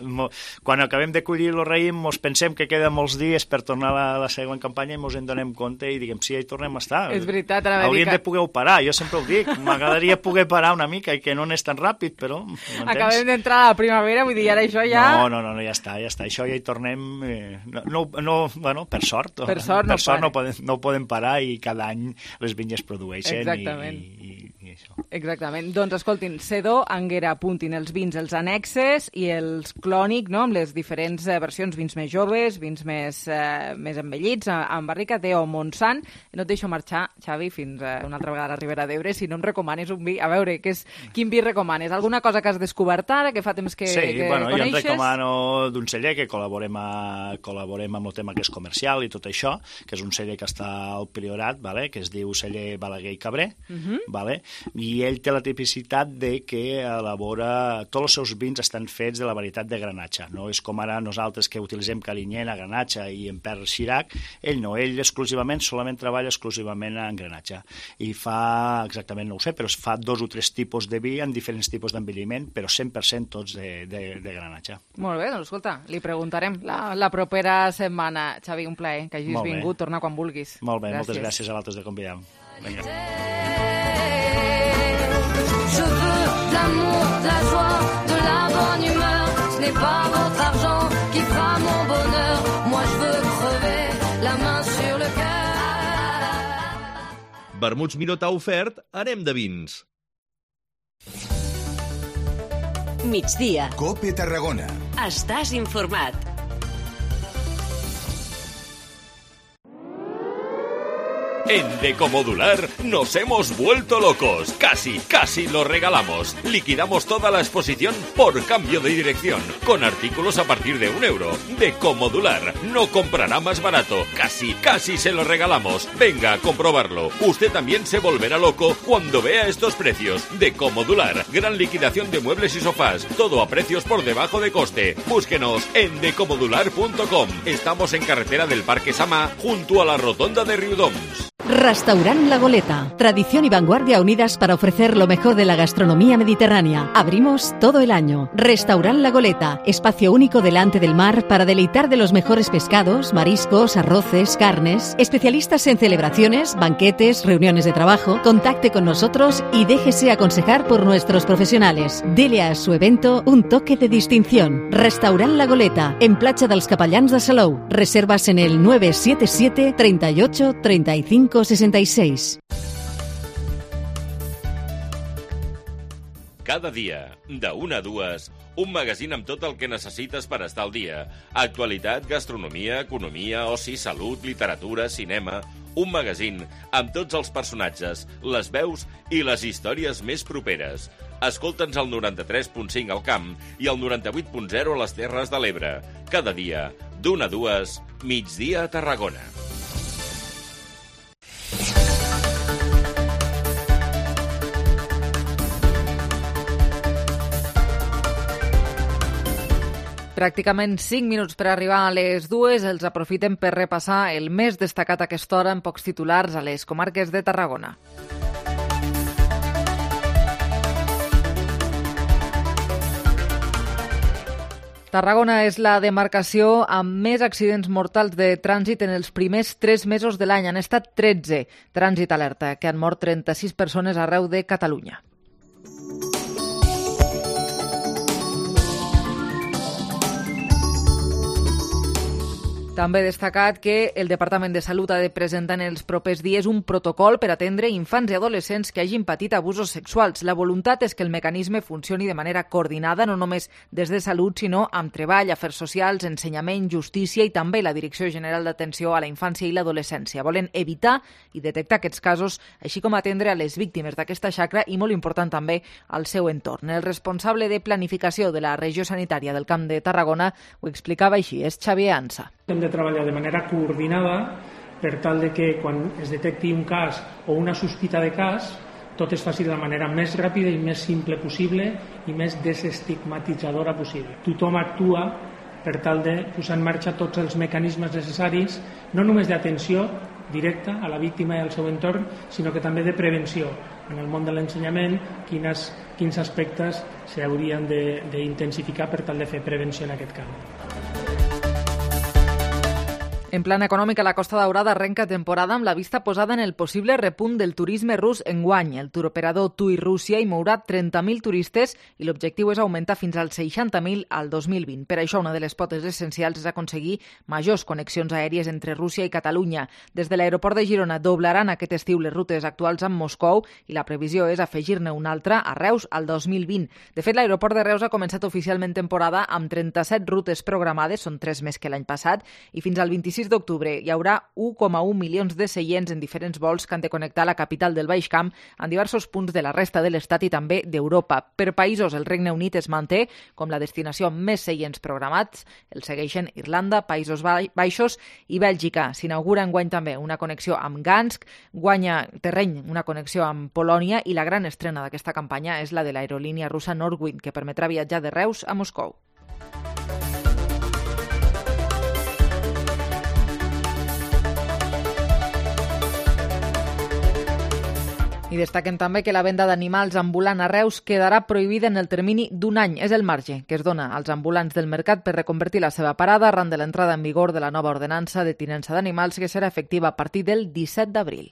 Quan acabem de collir el raïm, ens pensem que queden molts dies per tornar a la, la següent campanya i ens en donem compte i diguem, sí, ja hi tornem a estar. És veritat, ara hauríem que... de poder parar, jo sempre ho dic. M'agradaria poder parar una mica i que no anés tan ràpid, però... Acabem d'entrar a la primavera, vull dir, ara això ja... No, no, no, no, ja està, ja està. Això ja hi tornem... Eh, no, no, no, bueno, per sort. Per sort, per no, sort no, podem, no podem parar i cada any les vinyes produeixen. Exactament. I, i, i això. Exactament. Doncs escoltin, Sedó Anguera, apuntin els vins, els annexes i els clònic, no?, amb les diferents eh, versions, vins més joves, vins més, eh, més envellits, amb barrica, Teo Montsant. No et deixo marxar, Xavi, fins eh, una altra vegada a la Ribera d'Ebre, si no em recomanes un vi. A veure, que és, quin vi recomanes? Alguna cosa que has descobert ara, que fa temps que, sí, que bueno, coneixes? Jo em recomano d'un celler que col·laborem, a, col·laborem amb el tema que és comercial i tot això, que és un celler que està al Priorat, vale? Que es diu celler Balaguer i Cabré, uh-huh. vale? I ell té la tipicitat de que elabora... Tots els seus vins estan fets de la varietat de Granatxa, no és com ara nosaltres que utilitzem Carinyena, Granatxa i en Père Xirac, ell no, ell exclusivament, solament treballa exclusivament en Granatxa. I fa, exactament no ho sé, però es fa dos o tres tipus de vi en diferents tipus d'envelliment, però cent per cent tots de, de, de Granatxa. Molt bé, doncs escolta, li preguntarem la, la propera setmana. Xavi, un plaer que hagis vingut, torna quan vulguis. Molt bé, gràcies. Moltes gràcies a vosaltres de convidar-me. Vinga. Je veux de l'amour, de la joie, de la bonne humeur. Ce n'est pas votre argent qui fera mon bonheur. Moi je veux crever la main sur le cœur. Vermuts Miró t'ha ofert Anem de vins. Migdia. Cope Tarragona. Estàs informat. En Decomodular nos hemos vuelto locos. Casi, casi lo regalamos. Liquidamos toda la exposición por cambio de dirección. Con artículos a partir de un euro. Decomodular no comprará más barato. Casi, casi se lo regalamos. Venga a comprobarlo. Usted también se volverá loco cuando vea estos precios. Decomodular. Gran liquidación de muebles y sofás. Todo a precios por debajo de coste. Búsquenos en decomodular punto com. Estamos en carretera del Parque Sama, junto a la rotonda de Riudoms. Restaurant La Goleta. Tradición y vanguardia unidas para ofrecer lo mejor de la gastronomía mediterránea. Abrimos todo el año. Restaurant La Goleta. Espacio único delante del mar para deleitar de los mejores pescados, mariscos, arroces, carnes. Especialistas en celebraciones, banquetes, reuniones de trabajo. Contacte con nosotros y déjese aconsejar por nuestros profesionales. Dele a su evento un toque de distinción. Restaurant La Goleta. En Platja dels Capellans de Salou. Reservas en el nueve siete siete, treinta y ocho, treinta y cinco sesenta y seis. Cada dia, de una a dues, un magazín amb tot el que necessites per estar al dia. Actualitat, gastronomia, economia, oci, salut, literatura, cinema... Un magazín amb tots els personatges, les veus i les històries més properes. Escolta'ns al noranta-tres punt cinc al Camp i al noranta-vuit punt zero a les Terres de l'Ebre. Cada dia, d'una a dues, migdia a Tarragona. Pràcticament cinc minuts per arribar a les dues, els aprofitem per repassar el més destacat a aquesta hora en pocs titulars a les comarques de Tarragona. Tarragona és la demarcació amb més accidents mortals de trànsit en els primers tres mesos de l'any. Han estat tretze. Trànsit alerta, que han mort trenta-sis persones arreu de Catalunya. També destacat que el Departament de Salut ha de presentar en els propers dies un protocol per atendre infants i adolescents que hagin patit abusos sexuals. La voluntat és que el mecanisme funcioni de manera coordinada, no només des de Salut, sinó amb treball, afers socials, ensenyament, justícia i també la Direcció General d'Atenció a la Infància i l'Adolescència. Volen evitar i detectar aquests casos, així com atendre a les víctimes d'aquesta xacra i, molt important també, al seu entorn. El responsable de planificació de la regió sanitària del Camp de Tarragona ho explicava així, és Xavier Ansa. Hem de treballar de manera coordinada per tal de que quan es detecti un cas o una sospita de cas, tot es faci de la manera més ràpida i més simple possible i més desestigmatitzadora possible. Tothom actua per tal de posar en marxa tots els mecanismes necessaris, no només d'atenció directa a la víctima i al seu entorn, sinó que també de prevenció. En el món de l'ensenyament, quines, quins aspectes s'haurien d'intensificar per tal de fer prevenció en aquest camp. En plan econòmic, la Costa Daurada arrenca temporada amb la vista posada en el possible repunt del turisme rus enguany. El turoperador TUI Rússia hi mourà trenta mil turistes i l'objectiu és augmentar fins als seixanta mil al dos mil vint. Per això, una de les potes essencials és aconseguir majors connexions aèries entre Rússia i Catalunya. Des de l'aeroport de Girona doblaran aquest estiu les rutes actuals amb Moscou i la previsió és afegir-ne una altra a Reus al dos mil vint. De fet, l'aeroport de Reus ha començat oficialment temporada amb trenta-set rutes programades, són tres més que l'any passat, i fins al vint-i-sis d'octubre hi haurà u coma u milions de seients en diferents vols que han de connectar la capital del Baix Camp amb diversos punts de la resta de l'Estat i també d'Europa. Per països, el Regne Unit es manté com la destinació amb més seients programats. El segueixen Irlanda, Països Baixos i Bèlgica. S'inaugura enguany també una connexió amb Gansk, guanya terreny una connexió amb Polònia i la gran estrena d'aquesta campanya és la de l'aerolínia russa Northwind, que permetrà viatjar de Reus a Moscou. I destaquen també que la venda d'animals ambulant a Reus quedarà prohibida en el termini d'un any. És el marge que es dona als ambulants del mercat per reconvertir la seva parada arran de l'entrada en vigor de la nova ordenança de tinença d'animals que serà efectiva a partir del disset d'abril.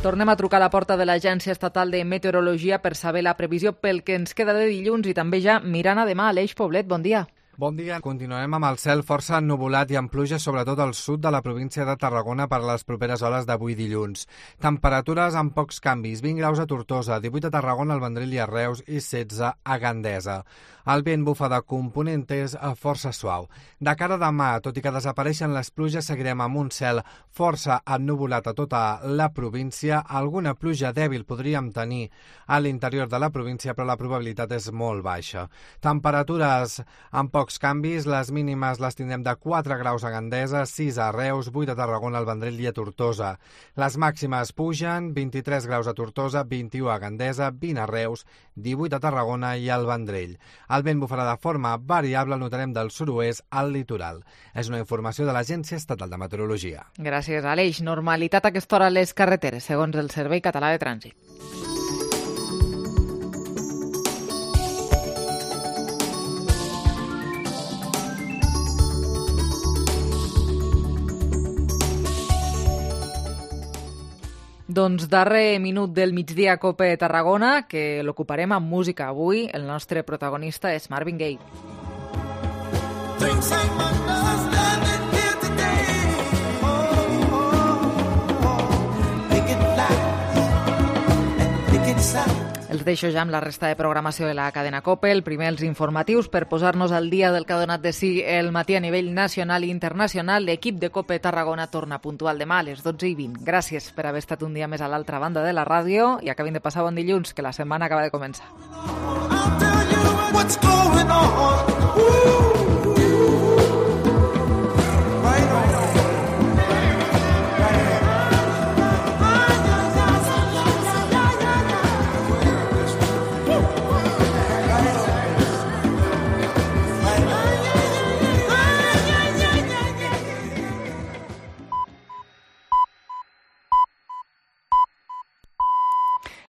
Tornem a trucar a la porta de l'Agència Estatal de Meteorologia per saber la previsió pel que ens queda de dilluns i també ja mirant a demà. Aleix Poblet, bon dia. Bon dia. Continuem amb el cel força ennuvolat i amb pluja sobretot al sud de la província de Tarragona per a les properes hores d'avui dilluns. Temperatures amb pocs canvis, vint graus a Tortosa, divuit a Tarragona, al Vendrell i a Reus i setze a Gandesa. El vent bufa de component és força suau. De cara a demà, tot i que desapareixen les pluges, seguirem amb un cel força ennuvolat a tota la província. Alguna pluja dèbil podríem tenir a l'interior de la província, però la probabilitat és molt baixa. Temperatures amb pocs canvis, les mínimes les tindrem de quatre graus a Gandesa, sis a Reus, vuit a Tarragona, al Vendrell i a Tortosa. Les màximes pugen, vint-i-tres graus a Tortosa, vint-i-u a Gandesa, vint a Reus, divuit a Tarragona i al Vendrell. El vent bufarà de forma variable, el notarem del sud-oest al litoral. És una informació de l'Agència Estatal de Meteorologia. Gràcies, Aleix. Normalitat a aquesta hora a les carreteres, segons el Servei Català de Trànsit. Doncs darrer minut del migdia Cope Tarragona, que l'ocuparem amb música. Avui el nostre protagonista és Marvin Gaye. Things I understand here today. Oh. els deixo ja amb la resta de programació de la cadena COPE. El primer, els informatius, per posar-nos al dia del que ha donat de si el matí a nivell nacional i internacional. L'equip de COPE Tarragona torna puntual demà a les dotze i vint. Gràcies per haver estat un dia més a l'altra banda de la ràdio i acabin de passar bon dilluns, que la setmana acaba de començar.